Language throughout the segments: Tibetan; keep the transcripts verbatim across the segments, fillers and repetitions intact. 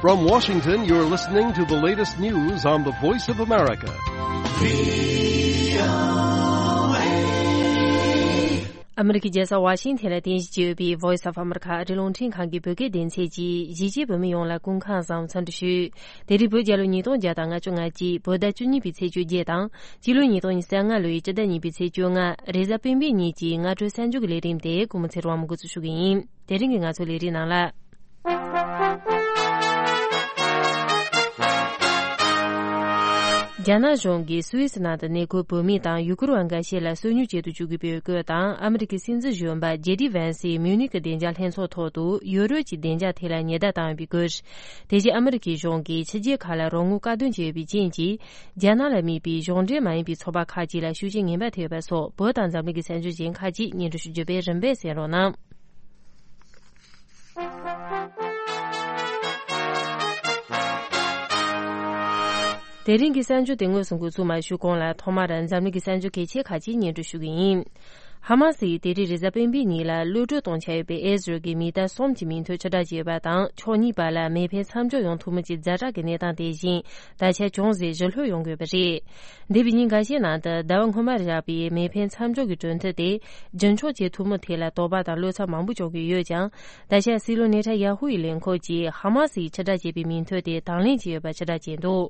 From Washington, you're listening to the latest news on the Voice of America. ཨ་མི་རི་ཀའི་རྒྱལ་ས་ཝ་ཤིང་ཐན་ལ་རྟེན་གཞི་བྱས་ཡོད་པའི་Voice of America ཨ་རིའི་རླུང་འཕྲིན་ཁང་གི་བོད་སྐད་སྡེ་ཚན་གྱིས་གཞིས་བྱེས་བོད་མི་ཡོངས་ལ་སྐུ་ཁམས་བཟང་འཚམས་འདྲི་ཞུ། དེ་རིང་བོད་རྒྱལ་ལོ་ཉིས་སྟོང་བརྒྱ་དང་ལྔ་བཅུ་ང་གཅིག་བོད་ཟླ་བཅུ་གཉིས་པའི་ཚེས་བཅོ་བརྒྱད་དང་། སྤྱི་ལོ་ཉིས་སྟོང་ཉི་ཤུ་རྩ་ལྔ་ལོའི་སྤྱི་ཟླ་གཉིས་པའི་ཚེས་བཅོ་ལྔ། རེས་གཟའ་སྤེན་པའི་ཉིན་གྱི་སྔ་དྲོའི་གསར་འགྱུར་གྱི་ལས་རིམ་དེ་སྐུ་ངོ་ཚེ་རིང་དབང་མོ་འགོ་འཛུགས་ཞུ་གི་ཡིན། དེ་རིང་གི་ང་ཚོའི་ལས་རིམ་ནང་ལ། རྒྱ་ནག་གཞུང་གིས་སུད་སི་ནང་དུ་གནས་འཁོད་བོད་མི་དང་ཡུ་གུར་བ་འགའ་ཤས་ལ་སོ་ཉུལ་བྱེད་དུ་བཅུག་དགོས་པའི་སྐོར་དང་། ཨ་མི་རི་ཀའི་སྲིད་འཛིན་གཞོན་པ་ཇེ་ཌི་ཝན་སིས་མིའུ་ནིག་གི་བདེ་འཇགས་ལྷན་ཚོགས་ཐོག་ཏུ་ཡུ་རོབ་ཀྱི་བདེ་འཇགས་ཐད་ལ་ཉེན་བརྡ་བཏང་ཡོད་པའི་སྐོར། དེ་བཞིན་ཨ་མི་རི་ཀའི་གཞུང་གིས་ཕྱི་རྒྱལ་ཁག་ལ་རོགས་དངུལ་བཀག་སྡོམ་བྱས་ཡོད་པའི་རྐྱེན་གྱིས། རྒྱ་ནག་ལ་དམིགས་པའི་གཞུང་འབྲེལ་མ་ཡིན་པའི་ཚོགས་པ་ཁག་ཅིག་ལ་ཤུགས་རྐྱེན་ངན་པ་ཐེབས་ཡོད་པ་སོགས། བོད་དང་འཛམ་གླིང་གི་གསར་འགྱུར་གཞན་ཁག་ཅིག་སྙན་སྒྲོན་ཞུ་རྒྱུ་བས། རིམ་པས་གསན་རོགས་གནང་། དེ་རིང་གི་གསར་འགྱུར་དེ་དངོས་སུ་འགོ་ཚུགས་མ་ཞུས་གོང་ལ། ཐོག་མར་འཛམ་གླིང་གི་གསར་འགྱུར་གལ་ཆེ་ཁག་ཅིག་སྙན་སྒྲོན་ཞུ་གི་ཡིན། ཧ་མ་སི་ཡིས་དེ་རིང་རེས་གཟའ་སྤེན་པའི་ཉིན་ལ་གློད་གྲོལ་གཏོང་འཆར་ཡོད་པའི་ཨེ་ཟི་རལ་གྱི་མི་གཏའ་གསུམ་གྱི་མིང་ཐོ་ཕྱིར་བསྒྲགས་བྱས་ཡོད་པ་དང་། ཕྱོགས་གཉིས་བར་ལ་མེ་འཕེན་མཚམས་འཇོག་ཡོང་ཐུབ་མིན་གྱི་ཛ་དྲག་གི་གནས་སྟངས་དེ་བཞིན་ད་ཆ་ཅུང་ཟད་ཞི་ལྷོད་ཡོང་དགོས་པ་རེད། འདས་པའི་ཉིན་འགའ་ཤས་ནང་དུ་ཟླ་བ་སྔོན་མར་བཞག་པའི་མེ་འཕེན་མཚམས་འཇོག་གི་གྲོས་མཐུན་དེ་རྒྱུན་འཁྱོངས་བྱེད་ཐུབ་མིན་ཐད་ལ་དོགས་པ་དང་བློ་འཚབ་མང་པོ་བྱུང་གི་ཡོད་ཀྱང་། ད་ཆ་སྲིད་བློན་ནེ་ཐན་ཡ་ཧུ་ཡི་ལས་ཁུངས་ཀྱིས་ཧ་མ་སི་ཡིས་ཕྱིར་བསྒྲགས་བྱས་པའི་མིང་ཐོ་དེ་དང་ལེན་བྱས་ཡོད་པ་ཕྱིར་བསྒྲགས་བྱས་འདུག་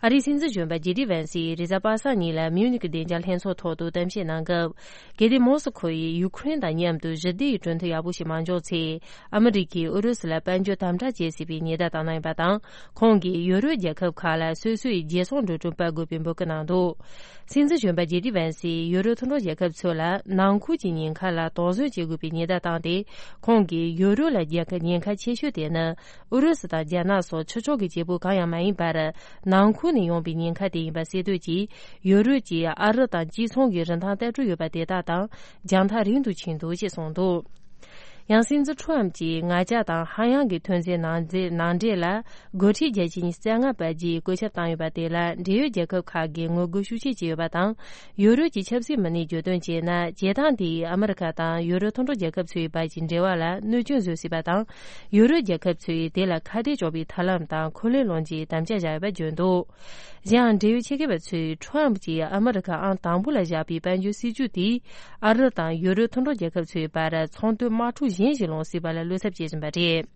ཨ་རིའི་སྲིད་འཛིན་གཞོན་པ་ཇེ་ཌི་ཝན་སིས་རེས་གཟའ་པ་སངས་ཉིན་ལ་མིའུ་ནིག་གི་བདེ་འཇགས་ལྷན་ཚོགས་ཐོག་ཏུ་གཏམ་བཤད་གནང་སྐབས། གལ་ཏེ་མོ་སི་ཁོ་ཡིས་ཡུ་ཁུ་རེན་དང་མཉམ་དུ་ཞི་བདེ་ཡི་གྲོས་མཐུན་ཡག་པོ་ཞིག་མ་འཇོག་ཚེ། ཨ་མི་རི་ཀས་ཨུ་རུ་སུ་ལ་དཔལ་འབྱོར་དམ་དྲག་བྱེད་སྲིད་པའི་ཉེན་བརྡ་བཏང་གནང་ཡོད་པ་དང་། ཁོང་གིས་ཡུ་རོབ་རྒྱལ་ཁབ་ཁག་ལ་སོ་སོའི་རྒྱལ་སྲུང་འགྲོ་གྲོན་སྤར་དགོས་པའི་འབོད་སྐུལ་གནང་འདུག་སྲིད་འཛིན་གཞོན་པ་ཇེ་ཌི་ཝན་སིས་ཡུ་རོབ་མཐུན་གྲོགས་རྒྱལ་ཁབ་ཚོ་ལ་ནང་ཁུལ་གྱི་ཉེན་ཁ་ལ་དོགས་ཟོན་བྱེད་དགོས་པའི་ཉེན་བརྡ་བཏང་སྟེ། ཁོང་གིས་ཡུ་རོབ་ལ་རྒྱལ་ཁ་ཉེན་ཁ་ཆེ་ཤོས་དེ་ནི་ཨུ་རུ་སུ་དང་རྒྱ་ནག་སོགས་ཕྱི་ཕྱོགས་ཀྱི་བྱེད་པོ་གང་ཡང་མ་ཡིན་པར། ནང་ཁུལ་ནས་ཡོང་པའི་ཉེན་ཁ་དེ་ཡིན་པ་གསལ་སྟོན་གྱིས། ཡུ་རོབ་ཀྱིས་ཨ་རི་དང་གཅིག་མཚུངས་ཀྱི་རིན་ཐང་ལྟ་གྲུབ་ཡོད་པ་དེ་དག་དང་རྒྱང་ཐག་རིང་དུ་ཕྱིན་འདུག་ཅེས་གསུངས་འདུག་ཡང་སྲིད་འཛིན་ཁྲོམ་གྱིས་ངར་ལྕགས་དང་ཧ་ཡང་གི་ཐོན་རྫས་ནང་འཛེ་ནང་འདྲེན་ལ་སྒོ་ཁྲལ་བརྒྱ་ཆ་ཉི་ཤུ་རྩ་ལྔ་སྤར་རྒྱུའི་བཀོད་ཁྱབ་བཏང་ཡོད་པ་དེ་ལ་འབྲེལ་ཡོད་རྒྱལ་ཁབ་ཁག་གིས་ངོ་རྒོལ་ཤུགས་ཆེ་བྱས་ཡོད་པ་དང་། ཡུ་རོབ་ཀྱི་ཆབ་སྲིད་མི་སྣས་བརྗོད་དོན་བྱས་ན། བྱེད་སྟངས་དེས་ཨ་མི་རི་ཁ་དང་ཡུ་རོབ་མཐུན་གྲོགས་རྒྱལ་ཁབ་ཚོའི་བར་གྱི་འབྲེལ་བ་ལ་གནོད་སྐྱོན་བཟོ་སྲིད་པ་དང་། ཡུ་རོབ་རྒྱལ་ཁབ་ཚོས་དེ་ལ་ཁ་གཏད་གཅོག་པའི་ཐབས་ལམ་དང་འཁོན་ལན་སློང་ཆེད་དམ་བཅའ་བཞག་ཡོད་པ་བརྗོད་འདུག་གཞན་ཡང་། འབྲེལ་ཡོད་ཆེད་མཁས་པ་ཚོས་ཁྲོམ་གྱིས་ཨ་མི་རི་ཁ་ཨང་དང་པོ་ལ་བཞག་པའི་དཔལ་འབྱོར་སྲིད་ཇུས་དེས། ཨ་རི་དང་ཡུ་རོབ་མཐུན་གྲོགས་རྒྱལ་ཁབ་ཚོའི་བར་ཚོང་དོན་དམག་འཁྲུག་གཞན་ཞིག་སློང་སྲིད་པ་ལ་བློ་འཚབ་བྱེད་བཞིན་པ་རེད།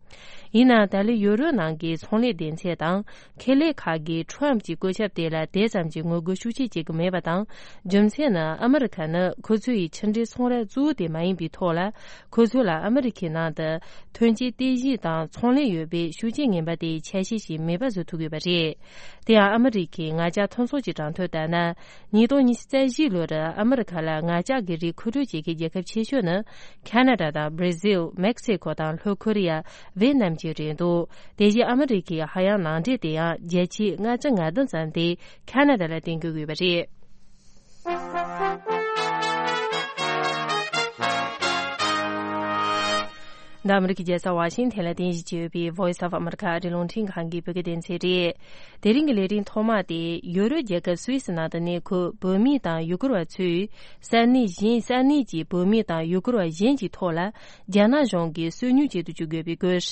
ཡིན་ནའང་། ད་ལོའི་ཡུ་རོབ་ནང་གི་ཚོང་ལས་སྡེ་ཚན་དང་ཁེ་ལས་ཁག་གིས་ཁྲོམ་གྱི་བཀོད་ཁྱབ་དེ་ལ་དེ་ཙམ་གྱི་ངོ་རྒོལ་ཤུགས་ཆེ་བྱེད་ཀྱི་མེད་པ་དང་། རྒྱུ་མཚན་ནི། ཨ་མི་རི་ཁ་ནི་ཁོ་ཚོའི་ཕྱི་འབྲེལ་ཚོང་ར་གཙོ་བོ་དེ་མ་ཡིན་པའི་ཐོག་ལ། ཁོ་ཚོ་ལ་ཨ་མི་རི་ཁའི་ནང་དུ་ཐོན་སྐྱེད་རྟེན་གཞི་དང་ཚོང་ལས་ཡོད་པས། ཤུགས་རྐྱེན་ངན་པ་དེའི་ཆ་ཤས་ཤིག་མེད་པ་བཟོ་ཐུབ་ཡོད་པ་རེད། དེ་ཡང་། ཨ་མི་རི་ཁའི་ངར་ལྕགས་མཐུན་ཚོགས་ཀྱི་གྲངས་ཐོ་ལྟར་ན། ཉིས་སྟོང་ཉི་ཤུ་རྩ་བཞི་ལོར་ཨ་མི་རི་ཁ་ལ་ངར་ལྕགས་ཀྱི་རིགས་མཁོ་སྤྲོད་བྱེད་མཁན་རྒྱལ་ཁབ་ཆེ་ཤོས་ནི། ཁ་ན་ཌ་དང་། བྷི་ར་ཟིལ། མེག་སི་ཁོ་དང་། ལྷོ་ཁོ་རི་ཡ། ཝེ་ནམ་བཅས་རེད་འདུག་དེ་བཞིན་ཨ་མི་རི་ཁའི་ཧ་ཡང་ནང་འདྲེན་དེ་ཡང་བརྒྱ་ཆའི་ལྔ་བཅུ་ང་བདུན་ཙམ་དེ་ཁ་ན་ཌ་ལ་བརྟེན་དགོས་ཡོད་པ་རེད། འདི་ཨ་མི་རི་ཀའི་རྒྱལ་ས་ཝ་ཤིང་ཐན་ལ་རྟེན་གཞི་བྱས་ཡོད་པའི་Voice of America ཨ་རིའི་རླུང་འཕྲིན་ཁང་གི་བོད་སྐད་སྡེ་ཚན་རེད། དེ་རིང་གི་ལས་རིམ་ཐོག་མ་དེ། ཡུ་རོབ་རྒྱལ་ཁབ་སུད་སི་ནང་དུ་གནས་འཁོད་བོད་མི་དང་ཡུ་གུར་བ་ཚོས། ས་གནས་གཞན། ས་གནས་ཀྱི་བོད་མི་དང་ཡུ་གུར་བ་གཞན་གྱི་ཐོག་ལ། རྒྱ་ནག་གཞུང་གིས་སོ་ཉུལ་བྱེད་དུ་བཅུག་དགོས་པའི་སྐོར།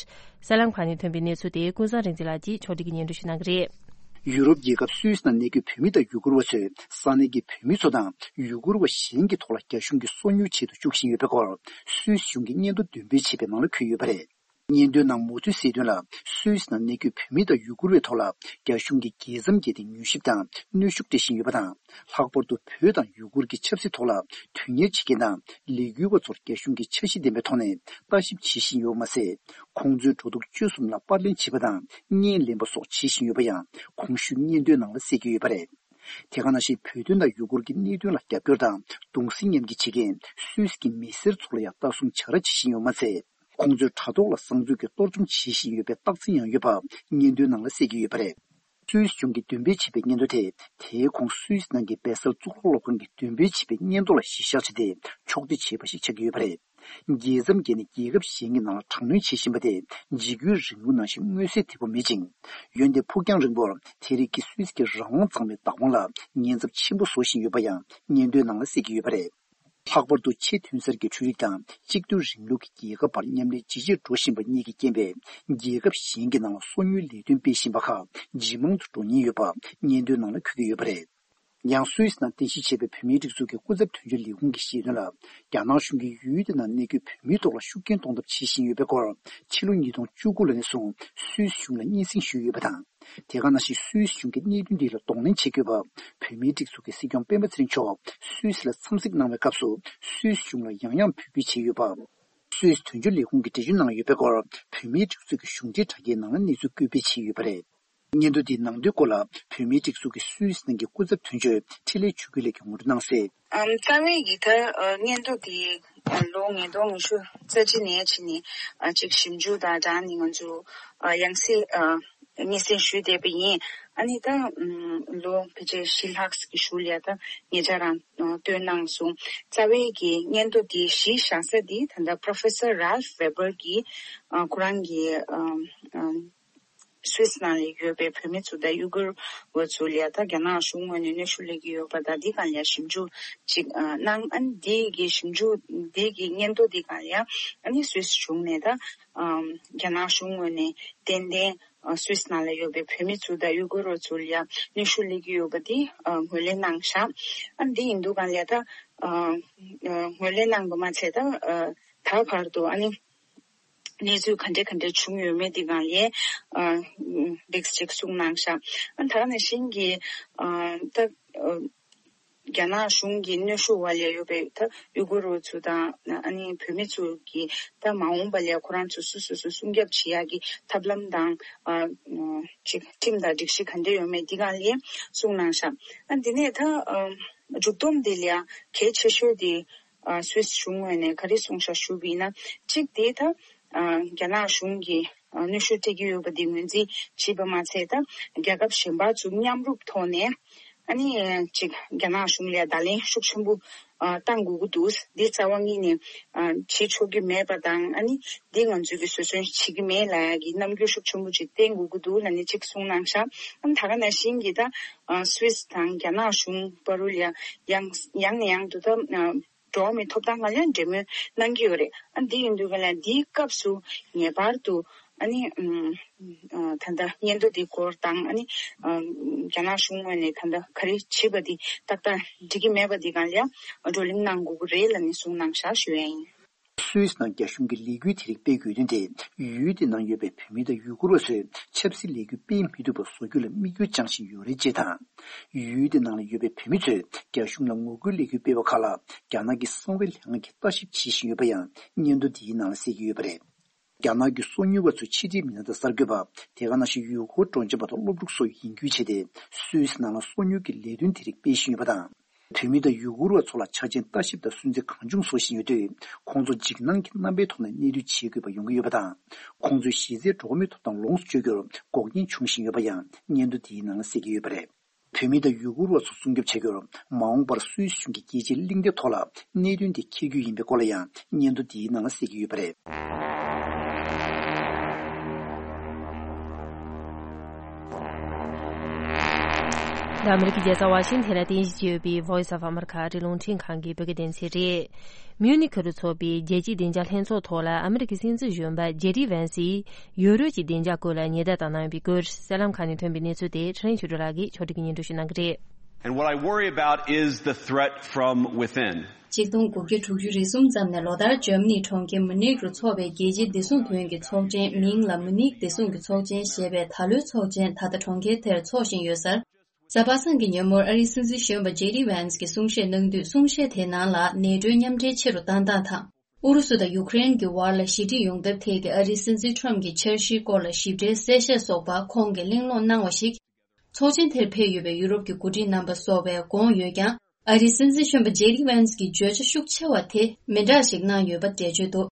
གསར་ལམ་ཁག་ནས་ཐོན་པའི་གནས་ཚུལ་དེ་ཀུན་བཟང་རིག་འཛིན་ལགས་ཀྱིས་ཕྱོགས་སྒྲིག་གིས་སྙན་སྒྲོན་ཞུ་གནང་གི་རེད། ཡུ་རོབ་རྒྱལ་ཁབ་སུད་སི་ནང་གནས་འཁོད་བོད་མི་དང་ཡུ་གུར་བ་ཚོས་ས་གནས་ཀྱི་བོད་མི་ཚོ་དང་ཡུ་གུར་བ་གཞན་གྱི་ཐོག་ལ་རྒྱ་གཞུང་གིས་སོ་ཉུལ་བྱེད་དུ་བཅུག་བཞིན་ཡོད་པའི་སྐོར། སུད་སི་གཞུང་གིས་སྙན་ཐོ་འདོན་སྤེལ་བྱས་པའི་ནང་ལ་འཁོད་ཡོད་པ་རེད། སྙན་ཐོའི་ནང་མུ་མཐུད་གསལ་དོན་ལ། སུད་སི་ནང་གནས་འཁོད་བོད་མི་དང་ཡུ་གུར་བའི་ཐོག་ལ་རྒྱ་གཞུང་གིས་རྒྱལ་མཚམས་བརྒལ་ཏེ་མྱུལ་ཞིབ་དང་གནོན་ཤུགས་སྤྲད་བཞིན་ཡོད་པ་དང་། ལྷག་པར་དུ་བོད་དང་ཡུ་གུར་གྱི་ཆབ་སྲིད་ཐོག་ལ་དོན་གཉེར་བྱེད་མཁན་དང་ལས་འགུལ་བ་ཚོར་རྒྱ་གཞུང་གིས་འཆར་གཞི་ལྡན་པའི་ཐོག་ནས་ལྟ་ཞིབ་བྱེད་བཞིན་ཡོད་པ་མ་ཟད། ཁོང་ཚོའི་འགྲོ་འདུག་སྤྱོད་གསུམ་ལ་པར་ལེན་བྱེད་པ་དང་བརྙན་ལེན་པ་སོགས་བྱེད་བཞིན་ཡོད་པ་ཡང་གོང་ཞུས་སྙན་ཐོའི་ནང་ལ་གསལ་གྱི་ཡོད་པ་རེད། དེ་ག་ནང་བཞིན་བོད་དོན་དང་ཡུ་གུར་གྱི་གནད་དོན་ལ་རྒྱབ་སྐྱོར་དང་གདུང་སེམས་མཉམ་སྐྱེད་བྱེད་མཁན་སུད་སི་གི་མི་སེར་ཚོ་ལ་ཡང་ལྟ་སྲུང་བྱ་ར་བྱེད་བཞིན་ཡོད་པ་མ་ཟད། ཁོང་ཚོའི་དྲ་ཐོག་ལ་གསང་འཛུལ་གྱིས་གཏོར་བཅོམ་བྱེད་བཞིན་ཡོད་པའི་རྟགས་མཚན་ཡང་ཡོད་པ་སྙན་ཐོའི་ནང་ལ་གསལ་གྱི་ཡོད་པ་རེད། སུད་སི་གཞུང་གིས་འདོན་སྤེལ་བྱས་པའི་སྙན་ཐོ་དེ། དེའི་གོང་སུད་སི་ནང་གི་བེ་སལ་གཙུག་ལག་སློབ་ཁང་གིས་འདོན་སྤེལ་བྱས་པའི་སྙན་ཐོ་ལ་གཞི་བཞག་བྱས་ཏེ་ཕྱོགས་སྒྲིག་བྱས་པ་ཞིག་ཆགས་ཀྱི་ཡོད་པ་རེད། རྒྱལ་མཚམས་བརྒལ་ནས་རྒྱལ་ཁབ་གཞན་གྱི་ནང་ལ་དྲག་གནོན་བྱེད་བཞིན་པ་དེ་འཇིགས་སྐུལ་རིང་པོ་ནང་བཞིན་མངོན་གསལ་དོད་པོ་མེད་ཅིང་། འོན་ཏེ་ཕུགས་རྒྱང་རིང་པོར་དེ་རིགས་ཀྱིས་སུད་སི་གི་རང་དབང་གཙང་མའི་བདག་དབང་ལ་ཉེན་ཚབས་ཆེན་པོ་བཟོ་བཞིན་ཡོད་པ་ཡང་སྙན་ཐོའི་ནང་ལ་གསལ་གྱི་ཡོད་པ་རེད། ལྷག་པར་དུ་ཆེས་ཐོན་གསར་གྱི་འཕྲུལ་རིག་དང་གཅིག་སྡུད་རིང་ལུགས་ཀྱིས་རྒྱལ་ཁབ་བར་མཉམ་ལས་ཇེ་ཆེར་འགྲོ་བཞིན་པ་གཉིས་ཀྱི་རྐྱེན་པས། རྒྱལ་ཁབ་གཞན་གྱི་ནང་ལ་སོ་ཉུལ་ལས་དོན་སྤེལ་བཞིན་པ་ཁག་ཇེ་མང་དུ་འགྲོ་ཉེན་ཡོད་པ་སྙན་ཐོའི་ནང་ལ་འཁོད་ཀྱི་ཡོད་པ་རེད། ཡང་སུད་སི་ནང་རྟེན་གཞི་བྱས་པའི་བོད་མིའི་སྒྲིག་འཛུགས་ཀྱི་སྐུ་ཚབ་དོན་གཅོད་ལས་ཁུངས་ཀྱིས་བཤད་དོན་ལ། རྒྱ་ནག་གཞུང་གིས་ཡུལ་དེ་ནང་གནས་འཁོད་བོད་མིའི་ཐོག་ལ་ཤུགས་རྐྱེན་གཏོང་ཐབས་བྱེད་བཞིན་ཡོད་པའི་སྐོར། ཕྱི་ལོ་ཉིས་སྟོང་བཅུ་དགུ་ལོ་ནས་བཟུང་སུད་སི་གཞུང་ལ་སྙན་སེང་ཞུས་ཡོད་པ་དང་། དེ་ག་ནང་བཞིན་སུད་སི་གཞུང་གིས་གནད་དོན་འདི་ལ་གདོང་ལེན་བྱེད་དགོས་པ། བོད་མིའི་སྒྲིག་འཛུགས་ཀྱི་སྲིད་སྐྱོང་སྤེན་པ་ཚེ་རིང་མཆོག་སུད་སི་ལ་འཚམས་གཟིགས་གནང་བའི་སྐབས་སུ། སུད་སི་གཞུང་ལ་ཡང་ཡང་འབོད་སྐུལ་བྱས་ཡོད་པ། སུད་སི་དོན་གཅོད་ལས་ཁུངས་ཀྱིས་འགྲེལ་བརྗོད་གནང་ཡོད་པའི་སྐོར། བོད་མིའི་སྒྲིག་འཛུགས་ཀྱི་གཞུང་འབྲེལ་དྲ་རྒྱའི་ནང་ལ་གནས་ཚུལ་བཀོད་སྤེལ་བྱས་ཡོད་པ་རེད། སྙན་ཐོ་འདིའི་ནང་དོན་སྐོར་ལ། བོད་མིའི་སྒྲིག་འཛུགས་ཀྱི་སུད་སི་ནང་གི་སྐུ་ཚབ་དོན་གཅོད་འཕྲིན་ལས་ཆོས་སྐྱིད་ལགས་ཀྱིས་ངོ་སྤྲོད་གནང་གསལ། ཨམ། རྩ་བའི་ཡི་ད་ཨ་སྙན་ཐོ་དེ་ཨ་ལོ་ཉིས་སྟོང་ཉི་ཤུ་རྩ་གཅིག་ནས་ཕྱིན་ནས་ཨ་ཅིག་ཞིབ་འཇུག་དང་སྦྲགས་ནས་ང་ཚོ་ཨ་ཡང་སེ་ཨ་སྙན་སེང་ཞུས་བསྡད་པ་ཡིན། ཨ་ནི་ད་ཨམ་ལོ་ཕལ་ཆེར་བཞི་ལྷག་གི་གཞུག་ལ་ད་ཉེ་ཆར་རང་ཨ་བཏོན་གནང་སོང་། རྩ་བའི་གི་སྙན་ཐོ་དེ་གཞི་བཞག་ས་དེ་ད་ལྟ་Professor Ralph Weber གིས་ཨ་ཁོ་རང་གི་ཨ་ཨ་སུད་སི་ནང་ལ་ཡོད་པའི་བོད་མི་ཚོ་དང་ཡུ་གུར་བ་ཚོ་ལ་ད་རྒྱ་ནག་གཞུང་ངོས་ནས་གནོན་ཤུགས་སླེབས་ཀྱི་ཡོད་པ་དང་འདི་སྒང་ལ་ཞིབ་འཇུག་ཅིག་ཨ་གནང་། ཨ་ནི་འདི་གི་ཞིབ་འཇུག་འདི་གི་སྙན་ཐོ་འདི་སྒང་ལ་ཨ་ནི་སུད་སི་གཞུང་ནས་ད་ཨ་རྒྱ་ནག་གཞུང་ངོས་ནས་ཏན་ཏན་ཨ་སུད་སི་ནང་ལ་ཡོད་པའི་བོད་མི་ཚོ་དང་ཡུ་གུར་བ་ཚོ་ལ་གནོན་ཤུགས་སླེབས་ཀྱི་ཡོད་པ་འདི་ཨ་ངོས་ལེན་གནང་བཞག། ཨ་ནི་འདི་ཡིན་དུས་སྒང་ལ་ད་ཨ་ཨ་ངོས་ལེན་གནང་བ་མ་ཚད་ད་ཨ་ད་བར་དུ་ཨ་ནི་གནས་ཚུལ་ག་འདྲ་ག་འདྲ་བྱུང་ཡོད་མེད་དེ་སྒང་ལ་ཨ་ལེགས་ཅིག་གསུངས་གནང་ཤག། ཨ་ད་ག་ནང་བཞིན་གྱི་ཨ་ད་ཨ་རྒྱ་ནག་གཞུང་གི་གནོན་ཤུགས་འོག་ལ་ཡོད་པའི་ད་ཡུ་གུར་བ་ཚོ་དང་ཨ་ནི་བོད་མི་ཚོ་གི་ད་མ་འོངས་པ་ལ་ཁོ་རང་ཚོ་སོ་སོ་སོ་སྲུང་སྐྱོབ་བྱེད་ཡག་གི་ཐབས་ལམ་དང་ཨ་ཅིག་ཁྲིམས་དང་སྒྲིག་གཞི་ག་འདྲ་ཡོད་མེད་དེ་སྒང་ལ་གསུངས་གནང་ཤག། ཨ་འདི་ནས་ད་ཨ་མཇུག་སྡོམ་དེ་ལ་གལ་ཆེ་ཤོས་དེ། ཨ་སུད་སི་གཞུང་ངོས་ནས་ག་རེ་གསུངས་ཤག་ཞུ་བ་ཡིན་ན། གཅིག་དེ་ད་ཨ་རྒྱ་ནག་གཞུང་གིས་ཨ་གནོན་ཤུགས་སྤྲད་ཀྱི་ཡོད་པ་དེ་ངོས་འཛིན་བྱས་པ་མ་ཚད་ད་རྒྱལ་ཁབ་གཞན་པ་ཚོ་མཉམ་རུབ་ཐོག་ནས་ཨ་ནི་ཅིག་རྒྱ་ནག་གཞུང་ལ་བརྡ་ལན་ཤུགས་ཆེན་པོ་ཨ་བཏང་དགོས་ཀྱི་འདུག། འདི་རྩ་བ་ཉིད་ནས་ཨ་བྱེད་ཆོག་གི་མེད་པ་དང་། ཨ་ནི་འདི་ང་ཚོས་ཀྱི་བཟོད་བསྲན་བྱེད་ཀྱི་མེད་ལབ་ཡག་གི་རྣམ་འགྱུར་ཤུགས་ཆེན་པོ་ཅིག་བསྟན་དགོས་ཀྱི་འདུག་ལབ་ནས་ཅིག་གསུངས་གནང་ཤག། ཨ་ནི་ད་ག་ནང་བཞིན་གྱི་ད་ཨ་སུད་སི་དང་རྒྱ་ནག་གཞུང་བར་དུ་ལ་ཡང་ཡང་ནས་ཡང་དུ་ད་ཨ། འགྲོ་བ་མིའི་ཐོབ་ཐང་སྒང་ལ་འབྲེལ་མོལ་གནང་གི་ཡོད་རེད། ཨ་འདི་ཡིན་དུས་སྒང་ལ་འདིའི་སྐབས་སུ་ངེས་པར་དུ་ཨ་ནི་ཨམ་ཨ་ད་ལྟ་སྙན་ཐོ་འདི་སྐོར་དང་ཨ་ནི་ཨམ་རྒྱ་ནག་གཞུང་ངོས་ནས་ད་ལྟ་ག་རེ་བྱས་པ་འདི་ཏག་ཏག་འགྲིག་གི་མེད་པ་འདི་སྒང་ལ་བགྲོ་གླེང་གནང་དགོས་ཀྱི་རེད་ལབ་ནས་གསུངས་གནང་བཞག་ཞུ་ཡ་ཡིན། སུད་སི་ནང་རྒྱ་གཞུང་གིས་ལས་འགུལ་དེ་རིགས་སྤེལ་དགོས་དོན་དེ། ཡུལ་དེ་ནང་ཡོད་པའི་བོད་མི་དང་ཡུ་གུར་བ་ཚོས་ཆབ་སྲིད་ལས་འགུལ་སྤེལ་མི་ཐུབ་པ་བཟོ་རྒྱུ་ལ་དམིགས་ཡུལ་བཅངས་བཞིན་ཡོད་རེད་ཅེས་དང་། ཡུལ་དེ་ནང་ལ་ཡོད་པའི་བོད་མི་ཚོས་རྒྱ་གཞུང་ལ་ངོ་རྒོལ་ལས་འགུལ་སྤེལ་བ་ཁག་ལ་རྒྱ་ནག་གི་གསང་བའི་ལས་ཁང་གིས་ལྟ་ཞིབ་བྱེད་བཞིན་ཡོད་པ་ཡང་སྙན་ཐོ་འདིའི་ནང་ལ་གསལ་གྱི་ཡོད་པ་རེད། རྒྱ་ནག་གི་སོ་ཉུལ་བ་ཚོའི་ཕྱི་འབྲེལ་མི་སྣ་དང་གསར་འགོད་པ། དེ་ག་ནང་བཞིན་ཡུལ་སྐོར་སྤྲོ་འཆམ་པ་དང་སློབ་ཕྲུག་སོགས་ཡིན་ཁུལ་བྱས་ཏེ། སུད་སི་ནང་ལ་སོ་ཉུལ་གྱི་ལས་དོན་དེ་རིགས་སྤེལ་བཞིན་ཡོད་པ་དང་། བོད་མི་དང་ཡུ་གུར་བ་ཚོ་ལ་ཆ་རྐྱེན་ལྟ་ཞིབ་དང་སུན་གཙེར་གང་བྱུང་བཟོ་བཞིན་ཡོད་དུས། ཁོང་ཚོ་འཇིགས་སྣང་གི་རྣམ་པའི་ཐོག་ནས་གནས་སྡོད་བྱེད་དགོས་པ་ཡོང་གི་ཡོད་པ་དང་། ཁོང་ཚོའི་གཞི་རྩའི་འགྲོ་བ་མིའི་ཐོབ་ཐང་ལོངས་སུ་སྤྱོད་རྒྱུར་འགོག་རྐྱེན་བྱུང་བཞིན་ཡོད་པ་ཡང་སྙན་ཐོ་འདིའི་ནང་ལ་གསལ་གྱི་ཡོད་པ་རེད། བོད་མི་དང་ཡུ་གུར་བ་ཚོ་སྲུང་སྐྱོབ་བྱ་རྒྱུར་མ་འོངས་པར་སུད་སི་གཞུང་གིས་རྒྱལ་སྤྱིའི་གླེང་སྟེགས་ཐོག་ལ་གནད་དོན་དེ་འཁྱེར་རྒྱུ་ཡིན་པའི་སྐོར་ལ་ཡང་སྙན་ཐོ་འདིའི་ནང་ལ་གསལ་གྱི་ཡོད་པ་རེད། འདི་ཨ་མི་རི་ཀའི་རྒྱལ་ས་ཝ་ཤིང་ཐན་ལ་རྟེན་གཞི་བྱས་ཡོད་པའི་Voice of America ཨ་རིའི་རླུང་འཕྲིན་ཁང་གི་བོད་སྐད་སྡེ་ཚན་རེད། མིའུ་ནི་ཁུལ་དུ་འཚོགས་པའི་རྒྱལ་སྤྱིའི་བདེ་འཇགས་ལྷན་ཚོགས་ཐོག་ལ་ཨ་མི་རི་ཀའི་སྲིད་འཛིན་གཞོན་པ་ཇེ་ཌི་ཝན་སིས་ཡུ་རོབ་ཀྱི་བདེ་འཇགས་སྐོར་ལ་ཉེན་བརྡ་བཏང་གནང་ཡོད་པའི་སྐོར། གསར་ལམ་ཁག་ནས་ཐོན་པའི་གནས་ཚུལ་དེ་ཕྲིན་ལས་ཆོས་སྒྲོན་ལགས་ཀྱིས་ཕྱོགས་སྒྲིག་གིས་སྙན་སྒྲོན་ཞུ་གནང་གི་རེད། And what I worry about is the threat from within. ཆིག་སྟོང་དགུ་བརྒྱ་དྲུག་ཅུ་རེ་གསུམ་ཙམ་ནས་ལོ་ལྟར་འཇར་མ་ནིའི་གྲོང་ཁྱེར་མུ་ནིག་རུ་འཚོགས་པའི་རྒྱལ་སྤྱིའི་བདེ་སྲུང་དོན་གྱི་ཚོགས་ཆེན། མིང་ལ་མུ་ནིག་བདེ་སྲུང་གི་ཚོགས་ཆེན་ཞེས་པའི་ད་ལོའི་ཚོགས་ཆེན་ད་ལྟ་གྲོང་ཁྱེར་དེར་འཚོགས་བཞིན་ཡོད་སར། གཟའ་པ་སངས་ཀྱི་ཉིན་མོར་ཨ་རིའི་སྲིད་འཛིན་གཞོན་པ་ཇེ་ཌི་ཝན་སི་གིས་གསུང་བཤད་གནང་དུས། གསུང་བཤད་དེའི་ནང་ལ་ནེ་ཊོའི་མཉམ་འབྲེལ་ཆེ་རུ་བཏང་སྟངས་དང་། ཨུ་རུ་སུ་དང་ཡུ་ཀེ་རེན་གྱི་བར་ལ་ཞི་འགྲིག་ཡོང་ཐབས་ཐད་ཀྱི་ཨ་རིའི་སྲིད་འཛིན་ཁྲོམ་གྱི་འཆར་གཞིའི་སྐོར་ལ་ཞིབ་ཕྲའི་གསལ་བཤད་སོགས་པ་ཁོང་གིས་གླེང་སློང་གནང་བ་ཞིག། ཚོགས་ཆེན་དེར་ཕེབས་ཡོད་པའི་ཡུ་རོབ་ཀྱི་འགོ་ཁྲིད་རྣམ་པ་སོགས་པས་དགོངས་ཡོད་ཀྱང་། ཨ་རིའི་སྲིད་འཛིན་གཞོན་པ་ཇེ་ཌི་ཝན་སི་གིས་བརྗོད་བྱ་ཤུགས་ཆེ་བ་དེ་མི་འདྲ་ཞིག་གནང་ཡོད་པ་འགྲེལ་བརྗོད་འདུག།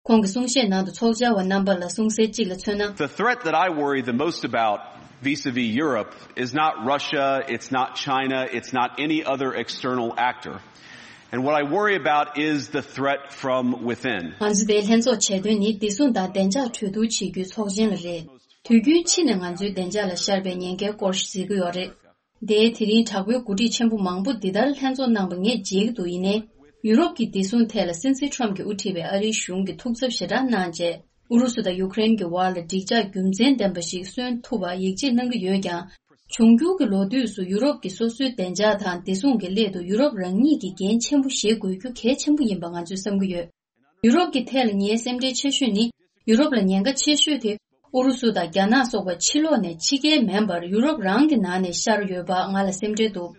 ཁོང་གི་གསུང་བཤད་ནང་དུ་ཚོགས་བཅར་བ་རྣམ་པ་ལ་གསུང་གསལ་གཅིག་ལ་མཚོན་ན། The threat that I worry the most about vis-a-vis Europe is not Russia, it's not China, it's not any other external actor. And what I worry about is the threat from within. ང་ཚོ་དེའི་ལྷན་ཚོགས་བྱེད་དོན་ནི་བདེ་སྲུང་དང་བདེ་འཇགས་གྲོས་བསྡུར་བྱེད་རྒྱུའི་ཚོགས་ཆེན་ལ་རེད། དུས་རྒྱུན་ཕྱི་ནས་ང་ཚོའི་བདེ་འཇགས་ལ་ཤར་བའི་ཉེན་ཁའི་སྐོར་ཞིག་གཟིགས་ཀྱི་ཡོད་རེད། དེའི་དེ་རིང་དྲག་པོའི་འགོ་ཁྲིད་ཆེན་པོ་མང་པོ་འདི་ལྟར་ལྷན་ཚོགས་གནང་པ་ངས་མཇལ་གྱི་འདུག། ཡིན་ནའི། ཡུ་རོབ་ཀྱི་བདེ་སྲུང་ཐད་ལ་སྲིད་འཛིན་ཁྲོམ་གྱིས་དབུ་ཁྲིད་པའི་ཨ་རིའི་གཞུང་གིས་ཐུགས་འཚབ་ཞེ་དྲག་གནང་རྗེས། ཨུ་རུ་སུ་དང་ཡུ་ཀེ་རེན་གྱི་བར་ལ་འགྲིག་འཇགས་རྒྱུ་མཚན་ལྡན་པ་ཞིག་སོན་ཐུབ་པར་ཡིད་ཆེས་གནང་གི་ཡོད་ཀྱང་། འབྱུང་འགྱུར་གྱི་ལོ་དུས་སུ་ཡུ་རོབ་ཀྱི་སོ་སོའི་བདེ་འཇགས་དང་བདེ་སྲུང་གི་སླད་དུ་ཡུ་རོབ་རང་ཉིད་ཀྱིས་འགན་ཆེན་པོ་བཞེས་དགོས་རྒྱུ་གལ་ཆེན་པོ་ཡིན་པ་ང་ཚོས་བསམ་གྱི་ཡོད། ཡུ་རོབ་ཀྱི་ཐད་ལ་ངའི་སེམས་ཁྲལ་ཆེ་ཤོས་ནི། ཡུ་རོབ་ལ་ཉེན་ཁ་ཆེ་ཤོས་དེ། ཨུ་རུ་སུ་དང་རྒྱ་ནག་སོགས་པ་ཕྱི་ལོགས་ནས་ཕྱི་རྒྱལ་མིན་པར་ཡུ་རོབ་རང་གི་ནང་ནས་ཤར་ཡོད་པ་ང་ལ་སེམས་ཁྲལ་འདུག་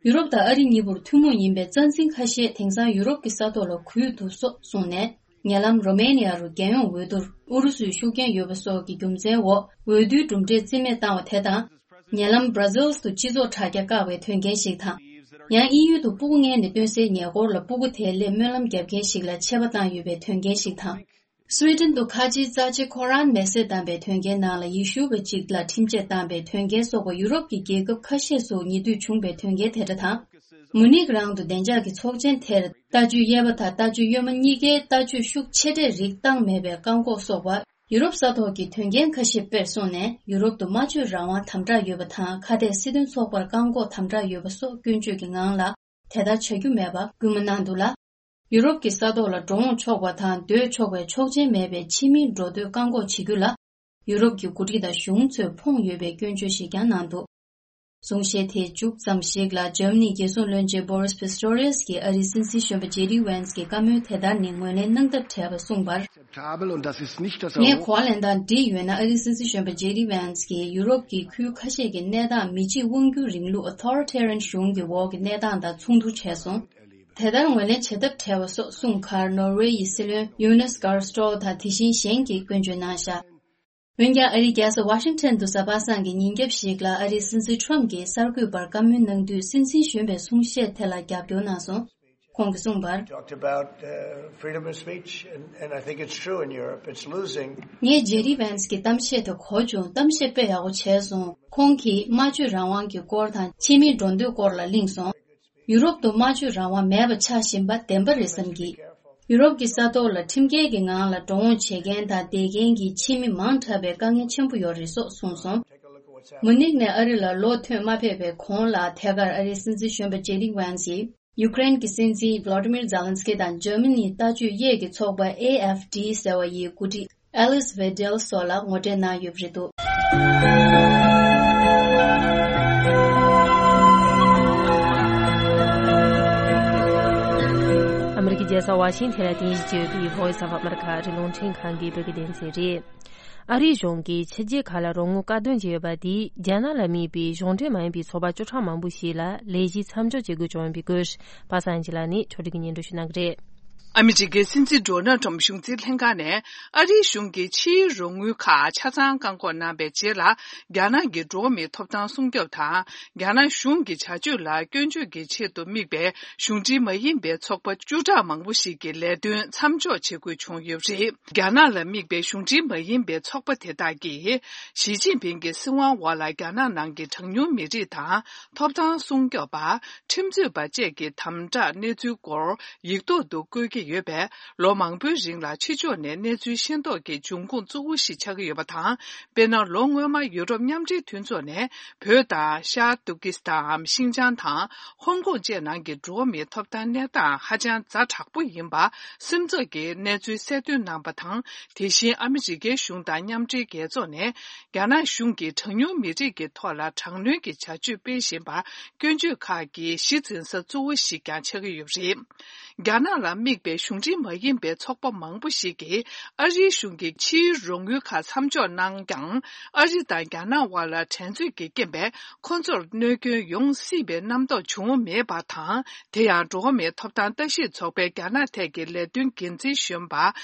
ཡུ་རོབ་དང་ཨ་རི་གཉིས་པོར་ཐུན་མོང་ཡིན་པའི་རྩ་འཛིན་ཁ་ཤས་དེང་སང་ཡུ་རོབ་ཀྱི་ས་ཐོག་ལ་རྒུད་འདུག་སོགས་གསུངས་ནས། ཉེ་ལམ་རོ་མེ་ནི་ཡ་རུ་རྒྱལ་ཡོངས་འོས་བསྡུར་ཨུ་རུ་སུའི་ཤུགས་རྐྱེན་ཡོད་པ་སོགས་ཀྱི་རྒྱུ་མཚན་འོག་འོས་བསྡུའི་གྲུབ་འབྲས་རྩིས་མེད་བཏང་བ་དེ་དང་། ཉེ་ལམ་Brussels་དུ་སྤྱི་ཚོགས་དྲ་རྒྱ་བཀག་པའི་དོན་རྐྱེན་ཞིག་དང་། ཡང་དབྱིན་ཡུལ་དུ་སྤུ་གུ་མངལ་ནས་བཏོན་སའི་ཉེ་འཁོར་ལ་སྤུ་གུ་དེའི་སླད་སྨོན་ལམ་བརྒྱབ་མཁན་ཞིག་ལ་ཆད་པ་བཏང་ཡོད་པའི་དོན་རྐྱེན་ཞིག་དང་། Sweden་དུ་ཁ་ཆེའི་རྩ་ཆེ་ཁོ་རཱན་མེ་བསྲེགས་བཏང་པའི་དོན་རྐྱེན་ནང་ལ་ཡེ་ཤུ་བ་གཅིག་ལ་ཁྲིམས་ཆད་བཏང་པའི་དོན་རྐྱེན་སོགས་པ་ཡུ་རོབ་ཀྱི་རྒྱལ་ཁབ་ཁ་ཤས་སུ་ཉེ་དུས་བྱུང་པའི་དོན་རྐྱེན་དེ་འདྲ་དང་། མུ་ནིག་རང་དུ་བདེ་འཇགས་ཀྱི་ཚོགས་ཆེན་དེར་ལྟ་སྤྱོད་གཡས་པ་དང་ལྟ་སྤྱོད་གཡོན་མ་གཉིས་ཀའི་ལྟ་སྤྱོད་ཤུགས་ཆེ་གྲས་རིགས་བཏང་མེད་པའི་བཀག་འགོག་སོགས་པ། ཡུ་རོབ་ས་ཐོག་གི་དོན་རྐྱེན་ཁ་ཤས་དཔེར་སོང་ནས་ཡུ་རོབ་ཏུ་སྨྲ་བརྗོད་རང་དབང་དམ་དྲག་ཡོད་པ་དང་ཁ་གཏད་སྲིད་དོན་ཚོགས་པར་བཀག་འགོག་དམ་དྲག་ཡོད་པ་སོགས་སྐྱོན་བརྗོད་ཀྱི་ངང་ལ་དེ་ལྟར་བྱ་རྒྱུ་མེད་པ་སྐུལ་མ་གནང་འདུག་ལ། ཡུ་རོབ་ཀྱི་ས་ཐོག་ལ་འགྲོ་འོང་ཆོག་པ་དང་སྡོད་ཆོག་པའི་ཆོག་མཆན་མེད་པའི་ཕྱི་མིའི་འགྲོ་སྡོད་བཀག་འགོག་བྱེད་རྒྱུ་ལ་ཡུ་རོབ་ཀྱི་འགོ་ཁྲིད་དང་གཞུང་ཚོས་ཕོངས་ཡོད་པའི་སྐྱོན་བརྗོད་ཞིག་ཀྱང་གནང་འདུག་གསུང་བཤད་དེའི་མཇུག་ཙམ་ཞིག་ལ་འཇར་མ་ནིའི་རྒྱལ་སྲུང་བློན་ཆེན་Boris Pistorius་གྱིས་ཨ་རིའི་སྲིད་འཛིན་གཞོན་པ་ཇེ་ཌི་ཝན་སི་གྱི་བཀའ་མོལ་དེ་ལྟར་ནི་ངོས་ལེན་གནང་ཐབས་བྲལ་བ་གསུངས་པར། Akzeptabel und das ist nicht das ངས་གོ་བ་ལེན་སྟངས་འགྲིག་ཡོད་ན་ཨ་རིའི་སྲིད་འཛིན་གཞོན་པ་ཇེ་ཌི་ཝན་སི་གྱིས་ཡུ་རོབ་ཀྱི་ཁུལ་ཁ་ཤས་ཀྱི་གནས་སྟངས་མི་གཅིག་དབང་སྒྱུར་རིང་ལུགས་Authoritarian་གཞུང་གི་འོག་གི་གནས་སྟངས་དང་མཚུངས་བསྡུར་བྱས་སོང་། དེ་ལྟར་ངོས་ལེན་བྱེད་ཐབས་བྲལ་བ་སོགས་གསུངས་ཁར་ནོར་ཝེ་ཡི་སྲིད་བློན་Jonas Gahr Store་དང་དེ་བཞིན་གཞན་གྱིས་སྐྱོན་བརྗོད་གནང་བཞག་འོན་ཀྱང་ཨ་རིའི་རྒྱལ་ས་ཝ་ཤིང་ཊོན་དུ་གཟའ་པ་སངས་ཀྱི་ཉིན་རྒྱབ་ཞིག་ལ་ཨ་རིའི་སྲིད་འཛིན་ཁྲོམ་གྱིས་གསར་འགོད་པར་བཀའ་མོལ་གནང་དུས་སྲིད་འཛིན་གཞོན་པའི་གསུང་བཤད་དེ་ལ་རྒྱབ་སྐྱོར་གནང་སོང་། ཁོང་གིས་གསུངས་པར། Talked about uh, freedom of speech, and, and I think it's true in Europe. It's losing. ངས་ཇེ་ཌི་ཝན་སི་གི་གཏམ་བཤད་དེ་གོ་བྱུང་། གཏམ་བཤད་དཔེ་ཡག་པོ་བྱས་སོང་། ཁོང་གིས་སྨྲ་བརྗོད་རང་དབང་གི་སྐོར་དང་ཕྱི་མིའི་འགྲོ་སྡོད་སྐོར་ལ་གླེང་སོང་། ཡུ་རོབ་ཏུ་སྨྲ་བརྗོད་རང་དབང་མེད་པ་ཆགས་བཞིན་པ་བདེན་པ་རེད་བསམ་གི། ཡུ་རོབ་ཀྱི་ས་ཐོག་ལ་ཁྲིམས་འགལ་གྱི་ངང་ལ་འགྲོ་འོང་བྱེད་མཁན་དང་བསྡད་མཁན་གྱི་ཕྱི་མི་མང་དྲགས་པའི་དཀའ་ངལ་ཆེན་པོ་ཡོད་རེད་སོགས་གསུངས་སོང་། མུ་ནིག་ནས་ཨ་རི་ལ་ལོག་ཐོན་མ་ཕེབས་པའི་གོང་ལ་ཐད་ཀར་ཨ་རིའི་སྲིད་འཛིན་གཞོན་པ་ཇེ་ཌི་ཝན་སིས་ཡུ་ཀེ་རེན་གྱི་སྲིད་འཛིན་Volodymyr Zelensky་དང་འཇར་མ་ནིའི་ལྟ་སྤྱོད་གཡས་ཀྱི་ཚོགས་པ་ཨེ་ཨེཕ་ཌི་ཟེར་བ་ཡི་འགོ་ཁྲིད་Alice Weidel་སོགས་ལ་ངོ་འཕྲད་གནང་ཡོད་པ་རེད་འདུག་ཨ་མི་རི་ཀའི་རྒྱལ་ས་ཝ་ཤིང་ཐན་ལ་རྟེན་གཞི་བྱས་ཡོད་པའི་Voice of America་ཨ་རིའི་རླུང་འཕྲིན་ཁང་གི་བོད་སྐད་སྡེ་ཚན་རེད། ཨ་རིའི་གཞུང་གིས་ཕྱི་རྒྱལ་ཁག་ལ་རོགས་དངུལ་བཀག་སྡོམ་བྱས་ཡོད་པ་དེས་རྒྱ་ནག་ལ་དམིགས་པའི་གཞུང་འབྲེལ་མ་ཡིན་པའི་ཚོགས་པ་བཅུ་ཕྲག་མང་པོ་ཞིག་ལ་ལས་གཞི་མཚམས་འཇོག་བྱེད་དགོས་བྱུང་ཡོད་པའི་སྐོར་པ་སངས་སྐྱིད་ལགས་ནས་ཕྱོགས་སྒྲིག་གིས་སྙན་སྒྲོན་ཞུ་གནང་གི་རེད། ཨ་མི་རི་ཀའི་སྲིད་འཛིན་ཌོ་ནལ་ཊམ་གཞུང་འཛིན་ལྷན་ཁང་ནས་ཨ་རིའི་གཞུང་གིས་ཕྱིའི་རོགས་དངུལ་ཁག་ཆ་ཚང་བཀག་འགོག་གནང་བའི་རྗེས་ལ་རྒྱ་ནག་གི་འགྲོ་བ་མིའི་ཐོབ་ཐང་སྲུང་སྐྱོབ་དང་། རྒྱ་ནག་གཞུང་གི་བྱ་སྤྱོད་ལ་སྐྱོན་བརྗོད་ཀྱི་ཆེད་དུ་དམིགས་པའི་གཞུང་འབྲེལ་མ་ཡིན་པའི་ཚོགས་པ་བཅུ་ཕྲག་མང་པོ་ཞིག་གི་ལས་དོན་མཚམས་འཇོག་བྱེད་དགོས་བྱུང་ཡོད་པ་རེད། རྒྱ་ནག་ལ་དམིགས་པའི་གཞུང་འབྲེལ་མ་ཡིན་པའི་ཚོགས་པ་དེ་དག་གིས་ཞི་ཅིན་ཕིང་གི་སྲིད་དབང་འོག་ལ་རྒྱ་ནག་ནང་གི་གྲངས་ཉུང་མི་རིགས་དང་ཐོབ་ཐང་སྲུང་སྐྱོབ་པ། ཁྲིམས་རྩོད་པ་བཅས་ཀྱི་དམ་དྲག་གནས་ཚུལ་སྐོར་ཡིག་ཐོག་ཏུ་བཀོད་ཀྱི་ཡོད་པས། ལོ་མང་པོའི་རིང་ལ་ཕྱི་ཕྱོགས་ནས་གནས་ཚུལ་ཤེས་རྟོགས་ཀྱི་འབྱུང་ཁུངས་གཙོ་བོ་ཞིག་ཆགས་ཀྱི་ཡོད་པ་དང་། དཔེར་ན། ལོ་སྔོན་མ་ཡུ་རོབ་མཉམ་འབྲེལ་མཐུན་ཚོགས་ནས་བོད་དང་། ཤར་ཏུར་ཀི་སི་ཐན་འམ་ཤིང་ཅང་དང་། ཧོང་ཀོང་བཅས་ནང་གི་འགྲོ་བ་མིའི་ཐོབ་ཐང་གནས་སྟངས་ཧ་ཅང་ཛ་དྲག་པོ་ཡིན་པ་སེམས་ཚོར་གྱི་གནས་ཚུལ་གསལ་སྟོན་གནང་པ་དང་། དེ་བཞིན་ཨ་མི་རི་ཀའི་གཞུང་དང་མཉམ་འབྲེལ་རྒྱལ་ཚོགས་ནས། རྒྱ་ནག་གཞུང་གིས་གྲངས་ཉུང་མི་རིགས་ཀྱི་ཐོག་ལ་དྲག་གནོན་གྱི་བྱ་སྤྱོད་སྤེལ་བཞིན་པར་སྐྱོན་བརྗོད་ཁག་གི་གཞི་འཛིན་ས་གཙོ་བོ་ཞིག་ཀྱང་ཆགས་ཀྱི་ཡོད་པ་རེད། རྒྱ་ནག་ལ་དམིགས་པའི་གཞུང་འབྲེལ་མ་ཡིན་པའི་ཚོགས་པ་མང་པོ་ཞིག་གིས་ཨ་རིའི་གཞུང་གིས་ཕྱིའི་རོགས་དངུལ་ཁག་མཚམས་འཇོག་གནང་ཀྱང་། ཨ་རི་དང་རྒྱ་ནག་དབར་ལ་འགྲན་རྩོད་ཀྱི་རྐྱེན་པས་ཁོ་ཚོར་གནོད་སྐྱོན་ཡོང་སྲིད་པའི་རྣམ་རྟོག་བྱུང་མེད་པ་དང་། དེ་ཡང་། འགྲོ་བ་མིའི་ཐོབ་ཐང་ལྟ་ཞིབ་ཚོགས་པའི་རྒྱ་ནག་ཐད་ཀྱི་ལས་དོན་འགན་འཛིན་གཞོན་པ་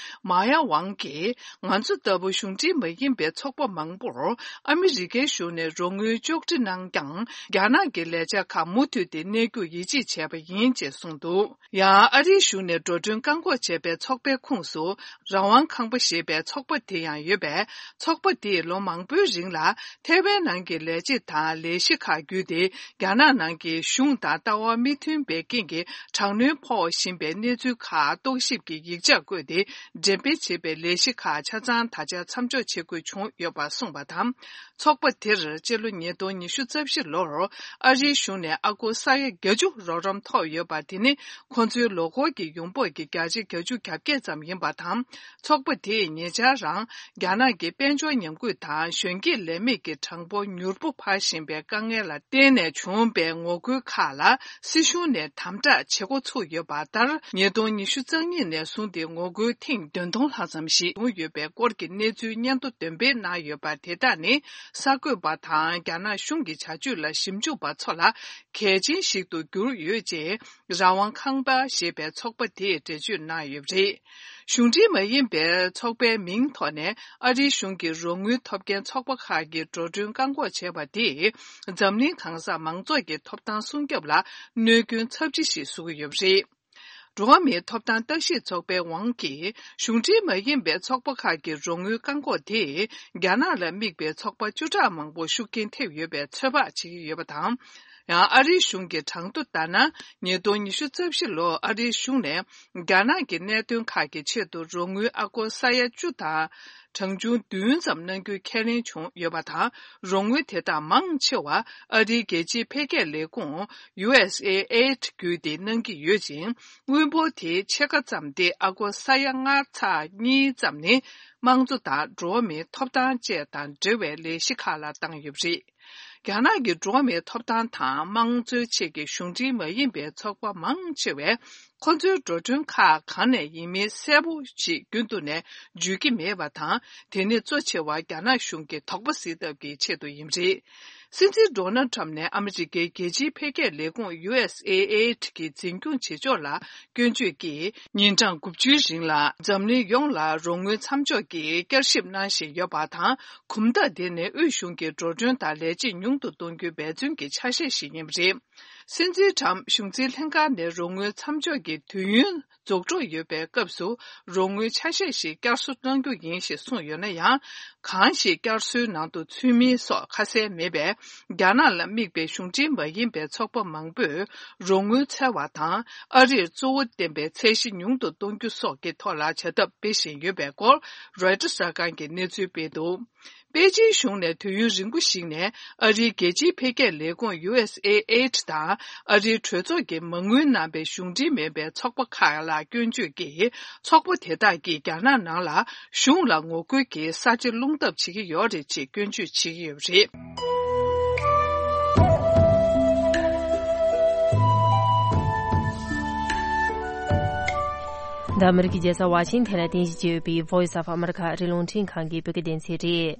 མཱ་ཡ་ཝང་གིས། ང་ཚོ་ལྟ་བུ་གཞུང་འབྲེལ་མ་ཡིན་པའི་ཚོགས་པ་མང་པོར་ཨ་མི་རི་ཀའི་གཞུང་ནས་རོགས་དངུལ་གཅོག་འཕྲི་གནང་ཀྱང་། རྒྱ་ནག་གི་ལས་འཆར་ཁག་མུ་མཐུད་དེ་གནས་རྒྱུར་ཡིད་ཆེས་བྱས་པ་ཡིན་ཅེས་གསུངས་འདུག་ཡང་། ཨ་རིའི་གཞུང་ནས་འགྲོ་གྲོན། བཀག་འགོག་བྱས་པའི་ཚོགས་པའི་ཁོངས་སུ། རང་དབང་ཁང་པ་ཞེས་པའི་ཚོགས་པ་དེ་ཡང་ཡོད་པས། ཚོགས་པ་དེས་ལོ་མང་པོའི་རིང་ལ་ཐའེ་ཝན་ནང་གི་ལས་བྱེད་དང་ལས་གཞི་ཁག་བརྒྱུད་དེ། རྒྱ་ནག་ནང་གི་གཞུང་དང་ལྟ་བ་མི་མཐུན་པའི་རྐྱེན་གྱིས་དྲག་གནོན་ཕོག་བཞིན་པའི་གནས་ཚུལ་ཁག་རྟོག་ཞིབ་ཀྱི་ཡིག་ཆ་བཀོད་དེ། འགྲེམས་སྤེལ་བྱེད་པའི་ལས་གཞི་ཁག་ཆ་ཚང་ད་ཆ་མཚམས་འཇོག་བྱེད་དགོས་བྱུང་ཡོད་པ་གསུངས་པ་དང་། ཚོགས་པ་དེར་སྤྱི་ལོ་ཉིས་སྟོང་ཉི་ཤུ་རྩ་བཞི་ལོར་ཨ་རིའི་གཞུང་ནས་ཨ་སྒོར་ས་ཡ་བརྒྱད་ཅུ་རོགས་རམ་ཐོབ་ཡོད་པ་དེ་ནི། ཁོ་ཚོའི་ལོ་འཁོར་གྱི་ཡོང་འབབ་ཀྱི་བརྒྱ་ཆ་བརྒྱད་ཅུ་གྱ་བརྒྱད་ཙམ་ཡིན་པ་དང་། ཚོགས་པ་དེས་ཉེ་ཆར་རང་རྒྱ་ནག་གི་དཔལ་འབྱོར་ཉམས་རྒུད་དང་གཞོན་སྐྱེས་ལས་མེད་ཀྱི་གྲངས་འབོར་མྱུར་པོ་འཕར་བཞིན་པའི་དཀའ་ངལ་ལ་བརྟེན་ནས་བྱུང་བའི་ངོ་རྒོལ་ཁག་ལ་སྲིད་གཞུང་ནས་དམ་དྲག་བྱེད་འགོ་ཚུགས་ཡོད་པ་ལྟར། ཉིས་སྟོང་ཉི་ཤུ་རྩ་གཉིས་ནས་བཟུང་སྟེ་ངོ་རྒོལ་ཐེངས་བདུན་སྟོང་ལྷག་ཙམ་ཞིག་བྱུང་ཡོད་པའི་སྐོར་གྱི་གནས་ཚུལ་སྙན་ཐོ་འདོན་སྤེལ་གནང་ཡོད་པ་དེ་དག་ནི། གསར་འགོད་པ་དང་རྒྱ་ནག་གཞུང་གི་བྱ་སྤྱོད་ལ་ཞིབ་འཇུག་པ་ཚོ་ལ་གལ་ཆེན་ཞིག་ཏུ་གྱུར་ཡོད་ཅེས། རང་དབང་ཁང་པ་ཞེས་པའི་ཚོགས་པ་དེས་འགྲེལ་བརྗོད་གནང་ཡོད་པ་རེད། གཞུང་འབྲེལ་མ་ཡིན་པའི་ཚོགས་པའི་མིང་ཐོག་ནས་ཨ་རིའི་གཞུང་གི་རོགས་དངུལ་ཐོབ་མཁན་ཚོགས་པ་ཁག་གིས་འགྲོ་གྲོན་བཀག་འགོག་བྱས་པ་དེས། འཛམ་གླིང་གང་སར་མང་ཚོགས་ཀྱི་ཐོབ་ཐང་སྲུང་སྐྱོབ་ལ་གནོད་སྐྱོན་ཚབས་ཆེ་ཞིག་བཟོ་གི་ཡོད་པ་རེད། འགྲོ་བ་མིའི་ཐོབ་ཐང་བརྟག་ཞིབ་ཚོགས་པའི་ཝང་གིས། གཞུང་འབྲེལ་མ་ཡིན་པའི་ཚོགས་པ་ཁག་གི་རོགས་དངུལ་བཀག་འགོག་དེས། རྒྱ་ནག་ལ་དམིགས་པའི་ཚོགས་པ་བཅུ་ཕྲག་མང་པོར་ཤུགས་རྐྱེན་ཐེབས་ཡོད་པའི་ཚོད་དཔག་བྱེད་ཀྱི་ཡོད་པ་དང་། ཡང་ཨ་རིའི་གཞུང་གི་གྲངས་ཐོ་ལྟར་ན། ཉིས་སྟོང་ཉི་ཤུ་རྩ་བཞི་ལོར་ཨ་རིའི་གཞུང་ནས་རྒྱ་ནག་གི་གནད་དོན་ཁག་གི་ཆེད་དུ་རོགས་དངུལ་ཨ་སྒོར་ས་ཡ་བཅུ་དང་གྲངས་ཆུང་བདུན་ཙམ་གནང་རྒྱུའི་ཁས་ལེན་བྱུང་ཡོད་པ་དང་། རོགས་དངུལ་དེ་དག་མང་ཆེ་བ་ཨ་རིའི་རྒྱལ་སྤྱིའི་འཕེལ་རྒྱས་ལས་ཁུངས་ཡུ་ཨེས་ཨེ་ཨེ་ཌི་བརྒྱུད་དེ་གནང་གི་ཡོད་ཅིང་། དངུལ་འབོར་དེའི་ཕྱེད་ཀ་ཙམ་སྟེ་ཨ་སྒོར་ས་ཡ་ལྔ་ཚེག་གཉིས་ཙམ་ནི་དམངས་གཙོ་དང་འགྲོ་བ་མིའི་ཐོབ་ཐང་བཅས་དང་འབྲེལ་བའི་ལས་གཞི་ཁག་ལ་བཏང་ཡོད་པ་རེད། རྒྱ་ནག་གི་འགྲོ་བ་མིའི་ཐོབ་ཐང་དང་དམངས་གཙོའི་ཆེད་ཀྱི་གཞུང་འབྲེལ་མ་ཡིན་པའི་ཚོགས་པ་མང་ཆེ་བས། ཁོ་ཚོའི་འགྲོ་གྲོན་ཁག་གང་ནས་ཡིན་མིན་གསལ་པོ་ཞིག་རྒྱུན་དུ་ནས་བརྗོད་ཀྱི་མེད་པ་དང་། དེ་ནི་གཙོ་ཆེ་བ་རྒྱ་ནག་གཞུང་གི་དོགས་པ་སེལ་ཐབས་ཀྱི་ཆེད་དུ་ཡིན་པ་རེད། སྲིད་འཛིན་ཌོ་ནལ་ཁྲམ་ནས་ཨ་མི་རི་ཀའི་རྒྱལ་སྤྱིའི་འཕེལ་རྒྱས་ལས་ཁུངས་ཡུ་ཨེས་ཨེ་ཨེ་ཌི་གི་འཛིན་སྐྱོང་བྱེད་ཕྱོགས་ལ་སྐྱོན་བརྗོད་ཀྱིས། ཉིན་གྲངས་དགུ་བཅུའི་རིང་ལ་འཛམ་གླིང་ཡོངས་ལ་རོགས་དངུལ་མཚམས་འཇོག་གི་བསྐྱར་ཞིབ་གནང་བཞིན་ཡོད་པ་དང་། གོམ་སྟབས་དེ་ནི་དབུས་གཞུང་གི་འགྲོ་གྲོན་དང་ལས་བྱེད་ཉུང་དུ་གཏོང་རྒྱུའི་འབད་བརྩོན་གྱི་ཆ་ཤས་ཤིག་ཡིན་པ་རེད། སྲིད་འཛིན་ཁྲམ་གཞུང་འཛིན་ལྷན་ཁང་ནས་རོགས་དངུལ་མཚམས་འཇོག་གི་དུས་ཡུན་རྫོགས་འགྲོ་ཡོད་པའི་སྐབས་སུ། རོགས་དངུལ་ཆ་ཤས་ཤིག་བསྐྱར་གསོ་གནང་རྒྱུ་ཡིན་ཞེས་གསུངས་ཡོད་ན་ཡང་། གང་ཞིག་བསྐྱར་གསོའི་ནང་དུ་ཚུད་མིན་སོགས་ཁ་གསལ་མེད་པས། རྒྱ་ནག་ལ་དམིགས་པའི་གཞུང་འབྲེལ་མ་ཡིན་པའི་ཚོགས་པ་མང་པོས་རོགས་དངུལ་འཚོལ་བ་དང་། ཨ་རིར་གཙོ་བོ་བསྟན་པའི་ཚད་གཞི་ཉུང་དུ་གཏོང་རྒྱུ་སོགས་ཀྱི་ཐོག་ལ་བྱ་ཐབས་སྤེལ་བཞིན་ཡོད་པའི་སྐོར། རོའི་ཊར་གསར་ཁང་གིས་གནས་ཚུལ་སྤེལ་འདུག་པེ་ཅིན་གཞུང་ནས་དུས་ཡུན་རིང་པོ་ཞིག་ནས་ཨ་རིའི་རྒྱལ་སྤྱིའི་འཕེལ་རྒྱས་ལས་ཁུངས་ཡུ་ཨེས་ཨེ་ཨེ་ཌི་དང་ཨ་རིའི་གྲོས་ཚོགས་ཀྱིས་མ་དངུལ་གནང་བའི་གཞུང་འབྲེལ་མིན་པའི་ཚོགས་པ་ཁག་ལ་སྐྱོན་བརྗོད་ཀྱིས། ཚོགས་པ་དེ་དག་གིས་རྒྱ་ནག་ནང་ལ་གཞུང་ལ་ངོ་རྒོལ་གྱིས་ས་ཆ་སློང་ཐབས་བྱེད་ཀྱི་ཡོད་རེད་ཅེས་སྐྱོན་བརྗོད་བྱེད་ཀྱི་ཡོད་པ་རེད། འདི་ཨ་མི་རི་ཀའི་རྒྱལ་ས་ཝ་ཤིང་ཐན་ལ་རྟེན་གཞི་བྱས་ཡོད་པའི་Voice of America ཨ་རིའི་རླུང་འཕྲིན་ཁང་གི་བོད་སྐད་སྡེ་ཚན་རེད།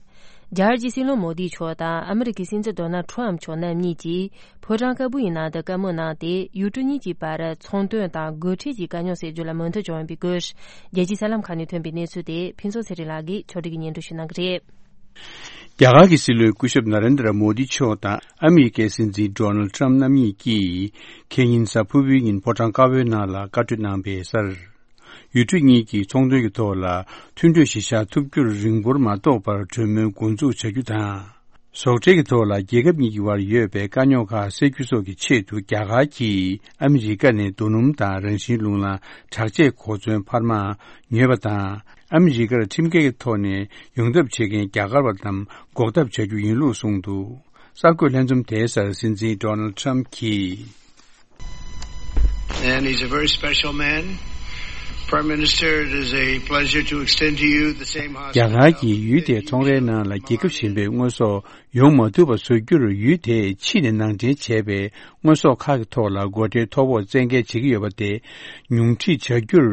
རྒྱ་གར་གྱི་སྲིད་བློན་མོ་དི་མཆོག་དང་ཨ་མི་རི་ཀའི་སྲིད་འཛིན་ཌོ་ནལ་ཁྲམ་མཆོག་རྣམ་གཉིས་ཀྱིས་ཕོ་བྲང་དཀར་པོའི་ནང་དུ་བཀའ་མོལ་གནང་སྟེ། ཡུལ་གྲུ་གཉིས་ཀྱི་བར་ཚོང་དོན་དང་སྒོ་ཁྲལ་གྱི་དཀའ་རྙོག་སེལ་རྒྱུ་ལ་མོས་མཐུན་བྱུང་ཡོད་པའི་སྐོར། རྒྱལ་སྤྱིའི་གསར་ལམ་ཁག་ནས་ཐོན་པའི་གནས་ཚུལ་དེ་ཕུན་ཚོགས་ཚེ་རིང་ལགས་ཀྱིས་ཕྱོགས་སྒྲིག་གིས་སྙན་སྒྲོན་ཞུ་གནང་གི་རེད། རྒྱ་གར་གྱི་སྲིད་བློན་སྐུ་ཞབས་ན་རེན་དྲ་མོ་དི་མཆོག་དང་ཨ་མི་རི་ཀའི་སྲིད་འཛིན་ཌོ་ནལ་ཁྲམ་རྣམ་གཉིས་ཀྱིས། ཁེ་ཉིན་གཟའ་ཕུར་བུའི་ཉིན་ཕོ་བྲང་དཀར་པོའི་ནང་ལ་བཀའ་གྲོས་གནང་བའི་སར། ཡུལ་གྲུ་གཉིས་ཀྱིས་ཚོང་དོན་གྱི་ཐོག་ལ་མཐུན་གྲོས་གཞིར་བཞག་ཐུབ་རྒྱུར་རིང་པོར་མ་ཐོགས་པར་གྲོས་མོལ་འགོ་འཛུགས་བྱ་རྒྱུ་དང་། ཟོག་ཁྲལ་གྱི་ཐོག་ལ་རྒྱལ་ཁབ་གཉིས་ཀྱི་བར་ཡོད་པའི་དཀའ་རྙོག་ཁག་སེལ་རྒྱུ་སོགས་ཀྱི་ཆེད་དུ། རྒྱ་གར་གྱིས་ཨ་མི་རི་ཀ་ནས་རྡོ་སྣུམ་དང་རང་བཞིན་རླུང་ལམ་དྲག་ཆས་གོ་མཚོན་འཕར་མ་ཉོས་པ་དང་། ཨ་མི་རི་ཀར་ཁྲིམས་འགལ་གྱི་ཐོག་ནས་ཡོང་ཐབས་བྱེད་མཁན་རྒྱ་གར་བ་རྣམས་འགོག་ཐབས་བྱ་རྒྱུ་ཡིན་ལུགས་གསུངས་འདུག་གསར་འགོད་ལྷན་འཛོམས་དེའི་སར་སྲིད་འཛིན་ཌོ་ནལ་ཁྲམ་གྱིས། And he's a very special man. Prime Minister, it is a pleasure to extend to you the same hospitality. རྒྱ་གར་གྱིས་ཡུལ་དེའི་ཚོང་རའི་ནང་ལ་རྒྱལ་ཁབ་གཞན་པའི་དངོས་ཟོག་ཡོང་མ་ཐུབ་པ་བཟོ་རྒྱུར། ཡུལ་དེས་ཕྱི་ནས་ནང་འདྲེན་བྱས་པའི་དངོས་ཟོག་ཁག་གི་ཐོག་ལ་སྒོ་ཁྲལ་མཐོ་པོར་བཙན་འགེལ་བྱེད་ཀྱི་ཡོད་པ་དེ་ཉུང་འཕྲི་བྱ་རྒྱུར།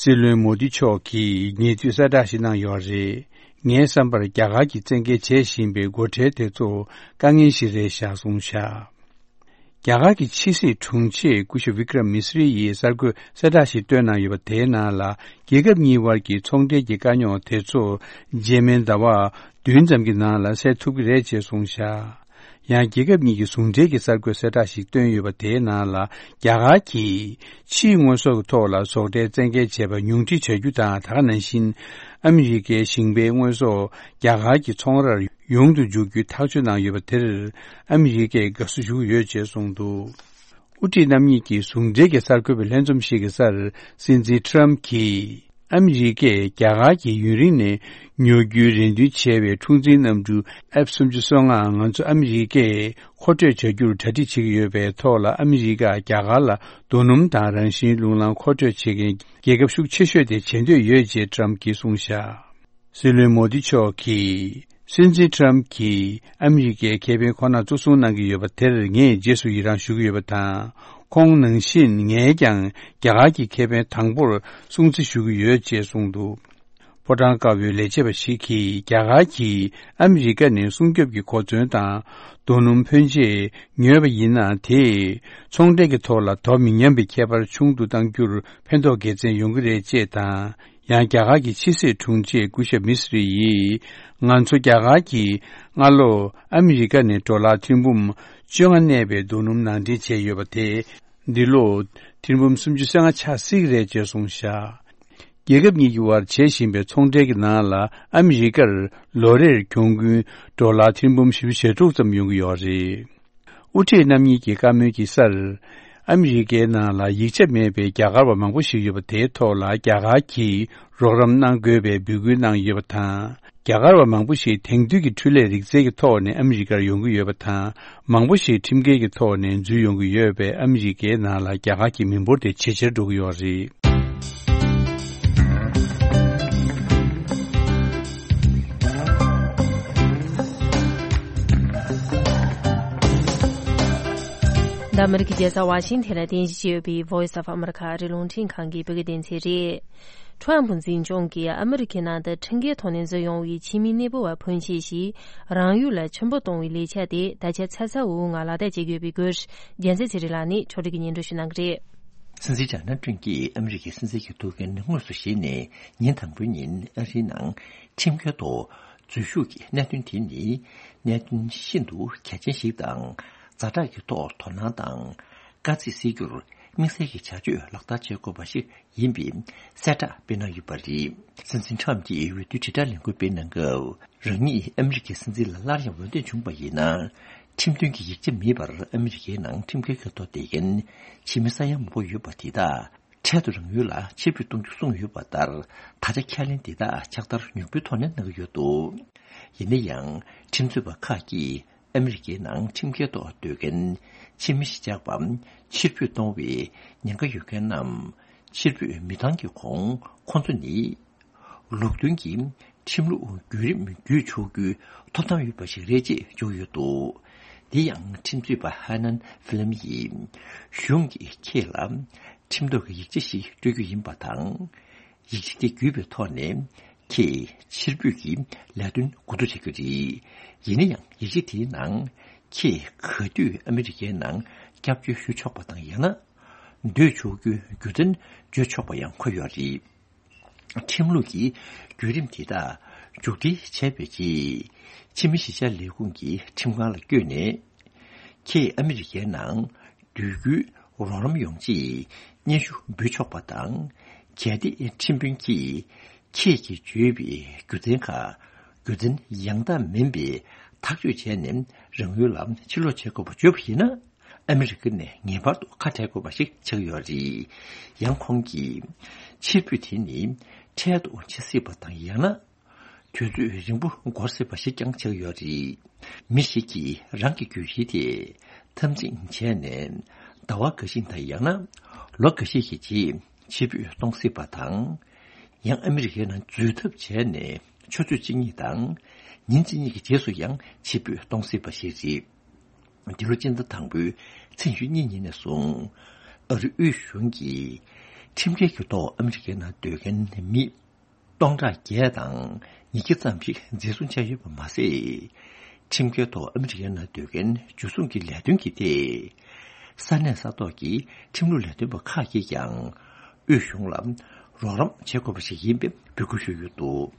སྲིད་བློན་མོ་དི་མཆོག་གིས་ཉེ་དུས་གསལ་བསྒྲགས་ཤིག་གནང་ཡོད་རེད། ངའི་བསམ་པར་རྒྱ་གར་གྱིས་བཙན་འགེལ་བྱེད་བཞིན་པའི་སྒོ་ཁྲལ་དེ་ཚོ་དཀའ་ངལ་ཞིག་རེད་བཞག་གསུངས་བཞག་རྒྱ་གར་གྱི་ཕྱི་སྲིད་དྲུང་ཆེ་སྐུ་ཞབས་བི་ཀྲ་མི་སི་རི་ཡིས་གསར་འགོད་གསལ་བསྒྲགས་ཤིག་བཏོན་གནང་ཡོད་པ་དེའི་ནང་ལ། རྒྱལ་ཁབ་གཉིས་དབར་གྱི་ཚོང་འབྲེལ་གྱི་དཀའ་རྙོག་དེ་ཚོ་རྗེས་མའི་ཟླ་བ་བདུན་ཙམ་གྱི་ནང་ལ་སེལ་ཐུབ་ཀྱི་རེད་ཅེས་གསུངས་བཞག་ཡང་རྒྱལ་ཁབ་གཉིས་ཀྱི་ཟུང་འབྲེལ་གྱི་གསར་འགོད་གསལ་བསྒྲགས་ཤིག་བཏོན་ཡོད་པ། དེའི་ནང་ལ་རྒྱ་གར་གྱིས་ཕྱིའི་དངོས་ཟོག་གི་ཐོག་ལ་ཟོག་ཁྲལ་བཙན་འགེལ་བྱས་པ་ཉུང་འཕྲི་བྱ་རྒྱུ་དང་། ད་ག་ནང་བཞིན་ཨ་མི་རི་ཀའི་ཞིང་པའི་དངོས་ཟོག་རྒྱ་གར་གྱི་ཚོང་རར་ཡོང་དུ་འཇུག་རྒྱུའི་ཐག་གཅོད་གནང་ཡོད་པ་དེར་ཨ་མི་རི་ཀས་དགའ་བསུ་ཞུ་གི་ཡོད་ཅེས་གསུངས་འདུག། དབུ་ཁྲིད་རྣམ་གཉིས་ཀྱི་ཟུང་འབྲེལ་གྱི་གསར་འགོད་པའི་ལྷན་འཛོམས་ཤིག་གི་སར་སྲིད་འཛིན་ཊམ་གྱིས། ཨ་མི་རི་ཀས་རྒྱ་གར་གྱིས་ཡུན་རིང་ནས་ཉོ་རྒྱུའི་རེ་འདུན་བྱས་པའི་འཁྲུག་འཛིང་གནམ་གྲུ་ཨེཕ་སུམ་ཅུ་སོ་ལྔ་ང་ཚོ་ཨ་མི་རི་ཀས་མཁོ་སྤྲོད་བྱ་རྒྱུར་གྲ་སྒྲིག་བྱེད་ཀྱི་ཡོད་པའི་ཐོག་ལ། ཨ་མི་རི་ཀ་རྒྱ་གར་ལ་རྡོ་སྣུམ་དང་རང་བཞིན་རླུང་ལམ་མཁོ་སྤྲོད་བྱེད་མཁན་རྒྱལ་ཁབ་ཤུགས་ཆེ་ཤོས་དེ་བྱེད་འདོད་ཡོད་ཅེས་ཊམ་གྱིས་གསུངས་བཞག། སྲིད་བློན་མོ་དི་མཆོག་གིས། སྲིད་འཛིན་ཊམ་གྱིས་ཨ་མི་རི་ཀའི་ཁེ་ཕན་ཁོ་ན་གཙོ་བཟུང་གནང་གི་ཡོད་པ་དེར་ངས་རྗེས་སུ་ཡི་རང་ཞུ་གི་ཡོད་པ་དང་། ཁོང་ནང་བཞིན་ངས་ཀྱང་རྒྱ་གར་གྱི་ཁེ་ཕན་དང་པོར་སྲུང་བརྩི་ཞུ་གི་ཡོད་ཅེས་གསུངས་འདུག། ཕོ་བྲང་དཀར་པོའི་ལས་བྱེད་པ་ཞིག་གིས། རྒྱ་གར་གྱིས་ཨ་མི་རི་ཀ་ནས་སྲུང་སྐྱོབ་ཀྱི་གོ་མཚོན་དང་རྡོ་སྣུམ་ཕོན་ཆེ་ཉོས་པ་ཡིན་ན། དེས་ཚོང་འབྲེལ་གྱི་ཐོག་ལ་དོ་མི་མཉམ་པའི་ཁྱད་པར་ཆུང་དུ་གཏང་རྒྱུར་ཕན་ཐོགས་དགེ་མཚན་ཡོང་གི་རེད་ཅེས་དང་། ཡང་རྒྱ་གར་གྱི་ཕྱི་སྲིད་དྲུང་ཆེ་སྐུ་ཞབས་མི་སི་རི་ཡིས། ང་ཚོ་རྒྱ་གར་གྱིས་སྔ་ལོ་ཨ་མི་རི་ཀ་ནས་ཌོ་ལར་ཐེར་འབུམ་བཅོ་ལྔ་གནས་པའི་རྡོ་སྣུམ་ནང་འདྲེན་བྱས་ཡོད་པ་དེ། འདི་ལོ་ཐེར་འབུམ་སུམ་ཅུ་སོ་ལྔ་ཆགས་སྲིད་ཀྱི་རེད་ཅེས་གསུངས་བཞག། རྒྱལ་ཁབ་གཉིས་ཀྱི་དབར་བྱེད་བཞིན་པའི་ཚོང་འབྲེལ་གྱི་ནང་ལ། ཨ་མི་རི་ཀར་ལོ་རེར་གྱོང་གུན་ཌོ་ལར་ཐེར་འབུམ་བཞི་བཅུ་ཞེ་དྲུག་ཙམ་ཡོང་གི་ཡོད་རེད། དབུ་ཁྲིད་རྣམ་གཉིས་ཀྱི་བཀའ་མོལ་གྱི་སར། ཨ་མི་རི་ཀའི་ནང་ལ་ཡིག་ཆ་མེད་པའི་རྒྱ་གར་བ་མང་པོ་ཞིག་ཡོད་པ་དེའི་ཐོག་ལ་རྒྱ་གར་གྱིས་རོགས་རམ་གནང་དགོས་པའི་འབོད་སྐུལ་གནང་ཡོད་པ་དང་། རྒྱ་གར་བ་མང་པོ་ཞིག་དེང་དུས་ཀྱི་འཕྲུལ་ལས་རིག་རྩལ་གྱི་ཐོག་ནས་ཨ་མི་རི་ཀར་ཡོང་གི་ཡོད་པ་དང་། མང་པོ་ཞིག་ཁྲིམས་འགལ་གྱི་ཐོག་ནས་འཛུལ་ཡོང་གི་ཡོད་པས། ཨ་མི་རི་ཀའི་ནང་ལ་རྒྱ་གར་གྱི་མི་འབོར་དེ་ཇེ་ཆེར་འགྲོ་གི་ཡོད་རེད། འདི་ཨ་མི་རི་ཀའི་རྒྱལ་ས་ཝ་ཤིང་ཐན་ལ་རྟེན་གཞི་བྱས་ཡོད་པའི་Voice of America ཨ་རིའི་རླུང་འཕྲིན་ཁང་གི་བོད་སྐད་སྡེ་ཚན་རེད། ཁྲོམ་ཕུ་འཛིན་སྐྱོང་གིས་ཨ་མི་རི་ཀའི་ནང་དུ་ཁྲིམས་འགལ་ཐོག་ནས་འཛུལ་ཡོང་བའི་ཕྱི་མི་གནས་སྤོ་བ་ཕོན་ཆེ་ཞིག་རང་ཡུལ་ལ་ཕྱིར་འབུད་གཏོང་བའི་ལས་འཆར་དེ་ད་ཆ་ཚ་ཚ་འུར་འུར་ངང་ལག་བསྟར་བྱེད་ཀྱི་ཡོད་པའི་སྐོར། རྒྱལ་མཚན་ཚེ་རིང་ལགས་ནས་ཕྱོགས་སྒྲིག་གིས་སྙན་སྒྲོན་ཞུ་གནང་གི་རེད། སྲིད་འཛིན་ཌོ་ནལ་ཊམ་གྱིས་ཨ་མི་རི་ཀའི་སྲིད་འཛིན་གྱི་ཐུགས་འགན་དངོས་སུ་བཞེས་ནས་ཉིན་དང་པོའི་ཉིན་ཨ་རིའི་ནང་ཁྲིམས་འགལ་ཐོག་འཛུལ་ཞུགས་ཀྱི་གནད་དོན་དེ་ནི་གནད་དོན་ཤིན་ཏུ་གལ་ཆེན་ཞིག་དང་། ཛ་དྲག་གི་ཐོག་དོ་སྣང་དང་། དཀའ་ཚེགས་སེལ་རྒྱུར་དམིགས་བསལ་གྱི་བྱ་སྤྱོད་ལག་བསྟར་བྱེད་དགོས་པ་ཞིག་ཡིན་པའི་གསལ་བསྒྲགས་སྤེལ་གནང་ཡོད་པ་རེད། སྲིད་འཛིན་ཊམ་གྱིས་འོས་བསྡུ་དྲིལ་བསྒྲགས་ལས་འགུལ་སྤེལ་གནང་སྐབས། རང་ཉིད་ཨ་མི་རི་ཀའི་སྲིད་འཛིན་ལ་སླར་ཡང་འོས་འདེམས་བྱུང་བ་ཡིན་ན། ཁྲིམས་མཐུན་གྱི་ཡིག་ཆ་མེད་པར་ཨ་མི་རི་ཀའི་ནང་ཁྲིམས་འགལ་གྱི་ཐོག་བསྡད་མཁན་ཕྱི་མི་ས་ཡ་མང་པོ་ཡོད་པ་དེ་དག་འཕྲལ་དུ་རང་ཡུལ་ལ་ཕྱིར་འབུད་གཏོང་རྒྱུ་གསུངས་ཡོད་པ་ལྟར། ད་ཆ་ཁས་ལེན་འདི་དག་ཕྱག་བསྟར་མྱུར་པོའི་ཐོག་ནས་གནང་གི་ཡོད་འདུག། ཡིན་ན་ཡང་། ཁྲིམས་རྩོད་པ་ཁག་གིས་ཨ་མི་རི་ཀའི་ནང་ཁྲིམས་འགལ་ཐོག་སྡོད་མཁན་ཕྱི་མི་གཞིས་ཆགས་པ་ཕྱིར་འབུད་གཏོང་བའི་ཉེན་ཁ་ཡོད་མཁན་རྣམས་ཕྱིར་འབུད་མི་བཏང་གི་གོང་ཁོང་ཚོ་ནི། ལུགས་མཐུན་གྱི་ཁྲིམས་ལུགས་བརྒྱུད་རིམ་བརྒྱུད་ཆོག་རྒྱུའི་ཐོབ་ཐང་ཡོད་པ་ཞིག་རེད་ཅེས་བརྗོད་ཡོད་འདུག། དེ་ཡང་ཁྲིམས་རྩོད་པ་ཧ་ནན་ཧྥི་ལམ་ཡིས། གཞུང་གིས་ཁྱེད་ལ་ཁྲིམས་ཐོག་གི་ཡིག་ཆ་ཞིག་སྤྲོད་རྒྱུ་ཡིན་པ་དང་། ཡིག་ཆ་དེ་བརྒྱུད་པའི་ཐོག་ནས་ཁྱེད་ཕྱིར་འབུད་ཀྱི་ལས་དོན་འགོ་འཛུགས་བྱ་རྒྱུ་རེད། ཡིན་ན་ཡང་ཡིག་ཆ་དེའི་ནང་ཁྱེད་ག་དུས་ཨ་མི་རི་ཀའི་ནང་སྐྱབས་བཅོལ་ཞུ་ཆོག་པ་དང་ཡང་ན་སྡོད་ཆོག་རྒྱུའི་རྒྱུ་མཚན་བརྗོད་ཆོག་པ་ཡང་འཁོད་ཡོད་རེད། ཁྲིམས་ལུགས་ཀྱི་བརྒྱུད་རིམ་དེ་དག་མཇུག་སྒྲིལ་བྱས་པའི་རྗེས། ཕྱི་མི་གཞིས་ཆགས་ལས་ཁུངས་ཀྱི་ཁྲིམས་ཁང་ལ་བསྐྱོད་ནས། ཁྱེད་ཨ་མི་རི་ཀའི་ནང་སྡོད་རྒྱུའི་རོགས་རམ་ཡོང་ཆེད་སྙན་ཞུ་འབུལ་ཆོག་པ་དང་། གལ་ཏེ་ཁྲིམས་དཔོན་གྱིས་ཁྱེད་ཀྱིས་བརྗོད་པའི་རྒྱུ་མཚན་ཁག་རྒྱུ་མཚན་ཡང་དག་མིན་པའི་ཐག་གཅོད་བྱས་ནས་རང་ཡུལ་ལ་ཕྱིར་ལོག་བྱེད་དགོས་པ་བརྗོད་པ་ཡིན་ན། ཨ་མི་རི་ཀ་ནས་ངེས་པར་དུ་ཁ་བྲལ་དགོས་པ་ཞིག་ཆགས་ཡོད་རེད། ཡང་ཁོང་གིས། ཕྱིར་འབུད་དེ་ནི་འཕྲལ་དུ་བྱེད་སྲིད་པ་དང་། ཡང་ན། དུས་ཚོད་རིང་པོ་འགོར་སྲིད་པ་ཞིག་ཀྱང་ཆགས་ཡོད་རེད། མི་ཞིག་གིས་རང་གི་རྒྱུ་ཡུལ་དེ་འཐབ་འཛིང་བྱས་ནས་ཟླ་བ་འགའ་ཤས་དང་། ཡང་ན་ལོ་འགའ་ཤས་ཀྱི་རྗེས་ཕྱིར་འབུད་གཏོང་སྲིད་པ་དང་། ཡང་ཨ་མི་རི་ཀའི་ནང་འཛུལ་ཐབས་བྱས་ནས་ཆུ་ཚོད་གཅིག་གཉིས་དང་ཉིན་གཅིག་གཉིས་ཀྱི་རྗེས་སུ་ཡང་ཕྱིར་འབུད་གཏོང་སྲིད་པ་ཞིག་རེད། འདི་ལོ་སྤྱི་ཟླ་དང་པོའི་ཚེས་ཉི་ཤུ་གཉིས་ཉིན་ནས་བཟུང་། ཨ་རིའི་དབུས་གཞུང་གིས་ཁྲིམས་འགལ་གྱི་ཐོག་ཨ་མི་རི་ཀའི་ནང་སྡོད་མཁན་མི་སྟོང་ཕྲག་བརྒྱད་དང་ཉིས་བརྒྱ་ཙམ་ཞིག་འཛིན་བཟུང་བྱས་ཡོད་པ་མ་ཟད། ཁྲིམས་འགལ་ཐོག་ཨ་མི་རི་ཀའི་ནང་སྡོད་མཁན་འཇུ་བཟུང་གི་ལས་དོན་གྱི་ཐད། ས་གནས་ས་ཐོག་གི་ཁྲིམས་ལུགས་ལས་དོན་པ་ཁག་གིས་ཀྱང་དབུས་གཞུང་ལ་རོགས་རམ་བྱེད་དགོས་པ་ཞིག་ཡིན་པའི་འབོད་སྐུལ་ཞུས་ཡོད་འདུག།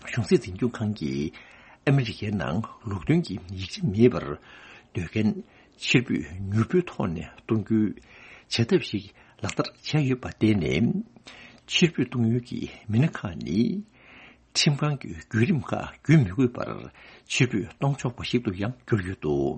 གཞུང་སྲིད་འཛིན་སྐྱོང་ཁང་གིས་ ཨ་མི་རི་ཀའི་ནང་ལུགས་མཐུན་གྱི་ཡིག་ཆ་མེད་པར་སྡོད་མཁན་ཕྱིར་འབུད་མྱུར་པོའི་ཐོག་ནས་གཏོང་རྒྱུའི་བྱ་ཐབས་ཤིག་ལག་བསྟར་བྱས་ཡོད་པར་བརྟེན་ནས། ཕྱིར་འབུད་གཏོང་ཡུལ་གྱི་མི་སྣ་ཁག་ནི། ཁྲིམས་ཁང་གི་བརྒྱུད་རིམ་ཁག་བརྒྱུད་མི་དགོས་པར་ཕྱིར་འབུད་གཏོང་ཆོག་པ་ཞིག་ཏུ་ཡང་གྱུར་ཡོད་འདུག་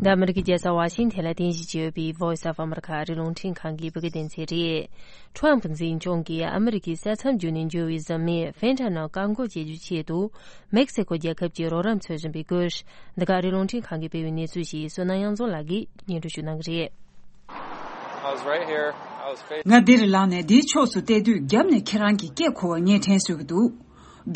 འདི་ཨ་མི་རི་ཀའི་རྒྱལ་ས་ཝ་ཤིང་ཐན་ལ་རྟེན་གཞི་བྱས་ཡོད་པའི་Voice of America ཨ་རིའི་རླུང་འཕྲིན་ཁང་གི་བོད་སྐད་སྡེ་ཚན་རེད། ཁྲོམ་འཛིན་སྐྱོང་གིས་ཨ་མི་རི་ཀའི་ས་མཚམས་བརྒྱུད་ནས་འབྱོར་བའི་གཟབ་ནན་ཕེན་ཐ་ནོལ་བཀག་འགོག་བྱེད་རྒྱུའི་ཆེད་དུ། མེག་སི་ཀོ་རྒྱལ་ཁབ་ཀྱི་རོགས་རམ་འཚོལ་བཞིན་པའི་སྐོར། འདི་ག་ཨ་རིའི་རླུང་འཕྲིན་ཁང་གིས་སྤེལ་བའི་གནས་ཚུལ་ཞིག་བསོད་ནམས་དབྱངས་འཛོམས་ལགས་ཀྱིས་སྙན་སྒྲོན་ཞུ་གནང་གི་རེད། I was right here. I was facing ང་འདིར་ལངས་ནས་འདིའི་ཕྱོགས་སུ་བལྟས་དུས་རྒྱབ་ནས་ཁྱེད་རང་གི་སྐད་གོ་བ་ངས་དྲན་གསོས་ཀྱི་འདུག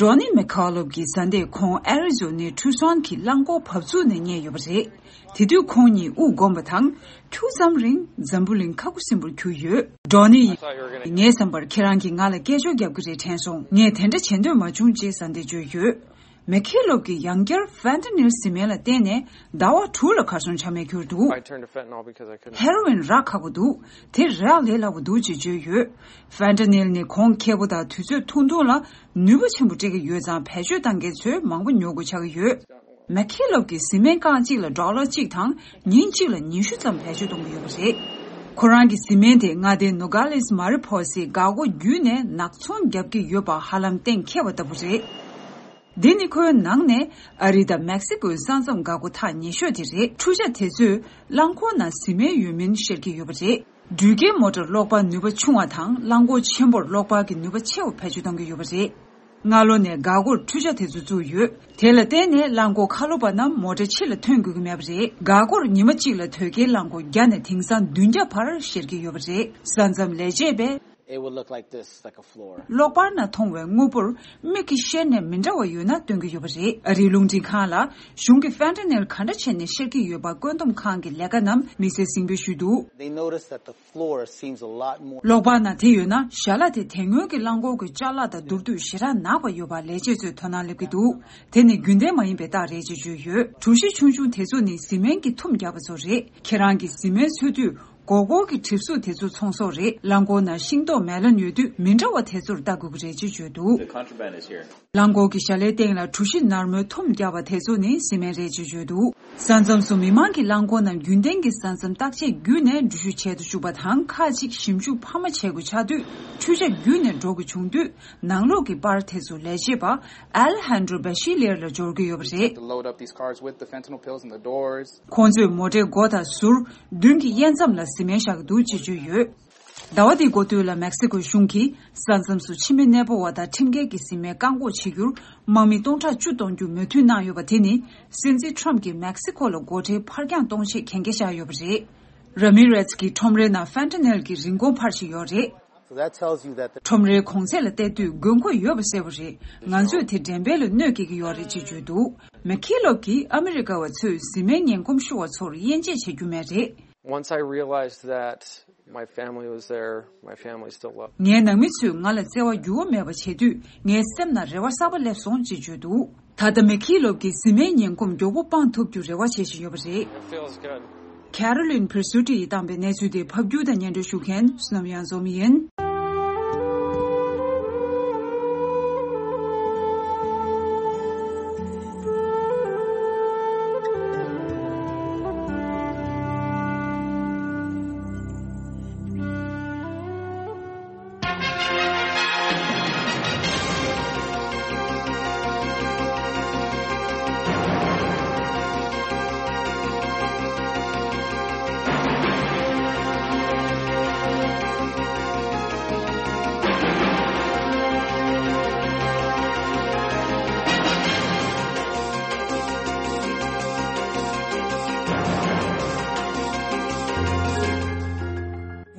Donnie McCullough གྱི་བཟའ་ཟླས་ཁོང་ཨེ་རི་ཛོ་ནའི་ཁྲུ་སོན་གྱི་རླངས་འཁོར་བབས་ཚུགས་ནས་རྙེད་ཡོད་པ་རེད། དེ་དུས་ཁོང་གཉིས་དབུགས་འགོམ་པ་དང་ཁྱུག་ཙམ་རིང་འཛམ་བུ་གླིང་ཁ་ཁུ་སིམ་པོར་གྱུར་ཡོད། Donnie ཡིས་ངའི་བསམ་པར་ཁྱེད་རང་གིས་ང་ལ་སྐད་ཅོར་རྒྱབ་ཀྱི་རེད་དྲན་སོང་། ངས་དེ་འདྲ་བྱེད་འདོད་མ་བྱུང་ཅེས་བཟའ་ཟླས་བརྗོད་ཡོད། མེ་ཁི་ལོབ་ཀྱིས་ཡང་བསྐྱར་ཕན་ཏ་ནིལ་བཟི་སྨན་ལ་བརྟེན་ནས་ཟླ་བ་དྲུག་ལ་གར་སོང་ཆ་མེད་གྱུར་འདུག I turned to fentanyl because I couldn't ཧེ་རོ་ཝིན་རག་ཁག་པོ་འདུག་དེ་རག་ལས་སླ་པོ་འདུག་ཅེས་བརྗོད་ཡོད། ཕན་ཏ་ནིལ་ནི་གོང་ཁེ་པོ་དང་དུས་ཚོད་ཐུང་ཐུང་ལ་ནུས་པ་ཆེན་པོ་སྤྲད་ཀྱི་ཡོད་ཙང་བེད་སྤྱོད་བཏང་མཁན་ཚོས་མང་པོ་ཉོ་དགོས་ཆགས་ཀྱི་ཡོད། མེ་ཁི་ལོབ་ཀྱིས་བཟི་སྨན་རྐང་གཅིག་ལ་ཌོ་ལར་གཅིག་དང་ཉིན་གཅིག་ལ་ཉི་ཤུ་ཙམ་བེད་སྤྱོད་གཏོང་གི་ཡོད་པ་རེད། ཁོ་རང་གི་བཟི་སྨན་དེ་མངའ་སྡེ་ནོ་ག་ལེས་མ་རི་ཕོ་སའི་འགག་སྒོ་བརྒྱུད་ནས་ནག་ཚོང་བརྒྱབ་ཀྱི་ཡོད་པ་ཧ་ལམ་གཏན་འཁེལ་བ་ལྟ་བུ་རེད། འདི་ནི་ཁོའི་ནང་ནས་ཨ་རི་དང་མེག་སི་ཀོའི་ས་མཚམས་འགག་སྒོ་ཐག་ཉེ་ཤོས་དེ་རེད། འཕྲུལ་ཆ་དེ་ཚོས་རླངས་འཁོར་ནང་བཟི་སྨན་ཡོད་མིན་ཤེས་ཀྱི་ཡོད་པ་རེད། འགྲུལ་སྐྱེལ་མོ་ཊར་གློག་པར་ནུས་པ་ཆུང་བ་དང་རླངས་འཁོར་ཆེན་པོར་གློག་པར་གྱི་ནུས་པ་ཆེ་བ་བེད་སྤྱོད་གཏོང་གི་ཡོད་པ་རེད། སྔ་ལོ་ནས་འགག་སྒོར་འཕྲུལ་ཆ་དེ་ཚོ་བཙུགས་ཡོད། དེ་ལ་བརྟེན་ནས་རླངས་འཁོར་ཁ་ལོ་པ་རྣམས་མོ་ཊའི་ཕྱི་ལ་ཐོན་དགོས་ཀྱི་མེད་པ་རེད། འགག་སྒོར་ཉི་མ་གཅིག་ལ་དོས་སྐྱེལ་རླངས་འཁོར་བརྒྱ་ནས་དེང་སང་བདུན་བརྒྱ་བར་བཤེར་གྱི་ཡོད་པ་རེད། ས་མཚམས་ལས་བྱེད་པས། It would look like this, like a floor. གློག་པར་ནང་མཐོང་བའི་དངོས་པོར་མིག་གིས་བཤེར་ནས་མི་འདྲ་བ་ཡོད་ན་སྟོན་གྱི་ཡོད་པ་རེད། ཨ་རིའི་རླུང་འཕྲིན་ཁང་ལ་གཞུང་གིས་ཕན་ཏ་ནེལ་ག་འདྲ་བྱས་ནས་བཤེར་གྱི་ཡོད་པ་བཀོད་འདོམས་ཁང་གི་ལས་ཀ་རྣམས་དམིགས་བསལ་གཟིགས་འབུལ་ཞུས་འདུག They noticed that the floor seems a lot more. གློག་པར་ནང་དེ་ཡོད་ན་ཞལ་ལག་དེ་དེ་སྔོན་གྱི་རླངས་འཁོར་གྱི་ཅ་ལག་དང་བསྡུར་དུས་ཞེ་དྲག་ནག་པ་ཡོད་པ་ལས་བྱེད་ཚོས་དོ་སྣང་སླེབས་ཀྱི་འདུག་དེ་ནི་རྒྱུན་ལྡན་མ་ཡིན་པའི་རྟགས་རེད་ཅེས་བརྗོད་ཡོད། གྲུ་བཞི་ཆུང་ཆུང་དེ་ཚོ་ནི་བཟི་སྨན་གྱི་ཐུམ་རྒྱག་པ་ཚོ་རེད། ཁྱེད་རང་གིས་བཟི་སྨན་འཚོལ་དུས། སྒོར་སྒོར་གྱི་གྲིབ་གཟུགས་དེ་ཚོ་ཚོང་ཟོག་རེད། རླངས་འཁོར་ནང་ཤིང་ཏོག་མེ་ལོན་ཡོད་དུས་མི་འདྲ་བ་དེ་ཚོར་ལྟ་དགོས་ཀྱི་རེད་ཅེས་བརྗོད་འདུག The contraband is here. རླངས་འཁོར་གྱི་ཞལ་ལའི་སྟེང་ལ་གྲུ་བཞི་ནར་མོའི་ཐུམ་བརྒྱབ་པ་དེ་ཚོ་ནི་བཟི་སྨན་རེད་ཅེས་བརྗོད་འདུག་ས་མཚམས་སུ་མི་མང་གིས་རླངས་འཁོར་རྣམས་རྒྱུན་ལྡན་གྱི་ས་མཚམས་བརྟག་དཔྱད་བརྒྱུད་ནས་འགྲུལ་བཞུད་བྱེད་དུ་བཅུག་པ་དང་། ཁག་ཅིག་ཞིབ་འཇུག་འཕར་མ་བྱེད་དགོས་ཆགས་དུས་འཕྲུལ་ཆ་བརྒྱུད་ནས་འགྲོ་དགོས་བྱུང་དུས། ནང་ལོགས་ཀྱི་པར་དེ་ཚོ་ལས་བྱེད་པ་ཨལ་ཧན་ཌྲོ་བེ་ཤི་ལེར་ལ་འབྱོར་གྱི་ཡོད་པ་རེད། To load up these cars with the fentanyl pills and the doors. ཁོང་ཚོས་མོ་ཊའི་སྒོ་དང་ཟུར། མདུན་གྱི་དབྱེ་མཚམས་ལ་བཟི་སྨན་བཞག་གི་འདུག་ཅེས་བརྗོད་ཡོད། ཟླ་བ་འདིའི་འགོ་སྟོད་ལ་མེག་སི་ཀོའི་གཞུང་གིས་ས་མཚམས་སུ་ཕྱི་མི་གནས་སྤོ་བ་དང་ཁྲིམས་འགལ་གྱི་བཟི་སྨན་བཀག་འགོག་བྱེད་རྒྱུར་དམག་མི་སྟོང་ཕྲག་བཅུ་གཏོང་རྒྱུ་མོས་མཐུན་གནང་ཡོད་པ་དེ་ནི་སྲིད་འཛིན་ཁྲོམ་གྱིས་མེག་སི་ཀོ་ལ་སྒོ་ཁྲལ་ཕར་འགྱངས་གཏོང་ཆེད་གན་རྒྱ་བཞག་ཡོད་པ་རེད། ར་མི་རེས་ཀྱི་ཁྲོམ་རའི་ནང་ཕན་ཏ་ནེལ་གྱི་རིན་གོང་འཕར་བཞིན་ཡོད་རེད། So that tells you that the ཁྲོམ་རའི་གོང་ཚད་ལ་བལྟས་དུས་དགོས་མཁོ་ཡོད་པ་གསལ་པོ་རེད། ང་ཚོས་དེ་འགྲེམས་སྤེལ་ལ་གནོད་སྐྱེལ་གྱི་ཡོད་རེད་ཅེས་བརྗོད་འདུག་མེ་ཁི་ལོབ་ཀྱིས་ཨ་མི་རི་ཀ་བ་ཚོས་བཟི་སྨན་ངན་གོམས་ཤོར་བ་ཚོར་དབྱེ་འབྱེད་བྱེད་རྒྱུ་མེད་རེད། Once I realized that my family was there, my family still loved. ངའི་ནང་མི་ཚོས་ང་ལ་བརྩེ་བ་འགྱུར་བ་མེད་པ་བྱེད་དུས་ངའི་སེམས་ནང་རེ་བ་གསར་པ་སླེབས་སོང་ཅེས་བརྗོད་འདུག་ད་ལྟ་མེ་ཁི་ལོབ་ཀྱིས་བཟི་སྨན་ངན་གོམས་མགྱོགས་པོ་སྤང་ཐུབ་རྒྱུ་རེ་བ་བྱེད་བཞིན་ཡོད་པ་རེད། It feels good. ཁེ་རོ་ལིན་ཕིར་སུ་ཏི་ཡིས་བཏང་པའི་གནས་ཚུལ་དེ་ཕབ་སྒྱུར་དང་སྙན་སྒྲོན་ཞུ་མཁན་བསོད་ནམས་དབྱངས་འཛོམས་ཡིན།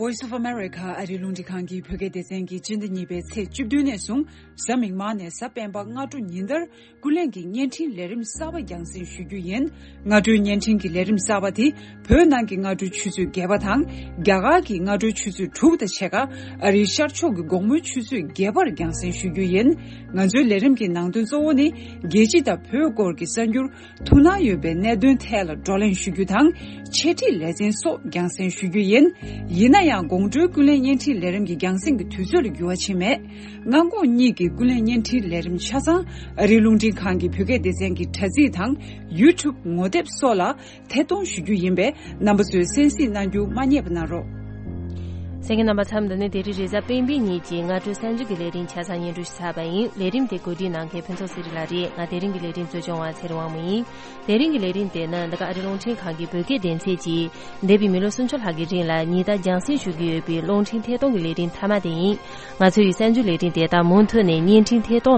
Voice of America ཨ་རིའི་རླུང་འཕྲིན་ཁང་གི་བོད་སྐད་སྡེ་ཚན་གྱིས་སྤྱི་ཟླ་གཉིས་པའི་ཚེས་བཅུ་བདུན་ནས་བཟུང་གཟའ་མིག་དམར་ནས་གཟའ་སྤེན་པ་སྔ་དྲོ་ཉིན་ལྟར་ཀུན་གླེང་གི་བརྙན་འཕྲིན་ལས་རིམ་གསར་པ་རྒྱང་སྲིང་ཞུ་རྒྱུ་ཡིན། སྔ་དྲོའི་བརྙན་འཕྲིན་གྱི་ལས་རིམ་གསར་པ་དེ་བོད་ནང་གི་སྔ་དྲོའི་ཆུ་ཚོད་བརྒྱད་པ་དང་རྒྱ་གར་གྱི་སྔ་དྲོའི་ཆུ་ཚོད་དྲུག་དང་ཕྱེད་ཀ་ཨ་རིའི་ཤར་ཕྱོགས་ཀྱི་དགོང་མོའི་ཆུ་ཚོད་བརྒྱད་པར་རྒྱང་སྲིང་ཞུ་རྒྱུ་ཡིན། ང་ཚོའི་ལས་རིམ་གྱི་ནང་དོན་གཙོ་བོ་ནི་རྒྱལ་སྤྱི་དང་བོད་སྐོར་གྱི་གསར་འགྱུར། ཐུགས་སྣང་ཡོད་པའི་གནད་དོན་ཐད་ལ་བགྲོ་གླེང་ཞུ་རྒྱུ་དང་། འཆད་ཁྲིད་ལེ་ཚན་སོགས་རྒྱང་སྲིང་ཞུ་རྒྱུ་ཡིན། ཡིན་ན་ཡང་དགོང་དྲོའི་ཀུན་གླེང་བརྙན་འཕྲིན་ལས་རིམ་གྱི་རྒྱང་སྲིང་གི་དུས་ཚོད་ལ་འགྱུར་བ་ཕྱིན་མེད། སྔ་དགོང་གཉིས་ཀྱི་ཀུན་གླེང་བརྙན་འཕྲིན་ལས་རིམ་ཆ་ཚང་ཨ་རིའི་རླུང་འཕྲིན་ཁང་གི་བོད་སྐད་སྡེ་ཚན་གྱི་དྲ་ཚིགས་དང་ཡུ་ཊུབ་ངོ་དེབ་སོགས་ལ་ཐད་གཏོང་ཞུ་རྒྱུ་ཡིན་པས་རྣམ་པ་ཚོས་གསན་གཟིགས་གནང་རྒྱུ་མ་བསྙེལ་བ་གནང་རོགས། གསན་མཁན་རྣམ་པ་ཚོ། འདི་ནི་དེ་རིང་རེས་གཟའ་སྤེན་པའི་ཉིན་གྱི་སྔ་དྲོའི་གསར་འགྱུར་གྱི་ལས་རིམ་ཆ་ཚང་སྙན་སྒྲོན་ཞུས་ཚར་བ་ཡིན། ལས་རིམ་དེ་གོ་སྒྲིག་གནང་མཁན་ཕུན་ཚོགས་ཚེ་རིང་ལགས་རེད། ང་དེ་རིང་གི་ལས་རིམ་གཙོ་སྐྱོང་བ་ཚེ་རིང་དབང་མོ་ཡིན། དེ་རིང་གི་ལས་རིམ་དེ་ནི་འདི་ག་ཨ་རི་རླུང་འཕྲིན་ཁང་གི་བོད་སྐད་སྡེ་ཚན་གྱིས་འདས་པའི་མི་ལོ་སུམ་ཅུ་ལྷག་གི་རིང་ལ་ཉིན་ལྟར་རྒྱང་སྲིང་ཞུ་གི་ཡོད་པའི་རླུང་འཕྲིན་ཐད་གཏོང་གི་ལས་རིམ་མཐའ་མ་དེ་ཡིན། ང་ཚོའི་གསར་འགྱུར་ལས་རིམ་དེ་དག་མུ་མཐུད་ནས་བརྙན་འཕྲིན་ཐད་གཏོང་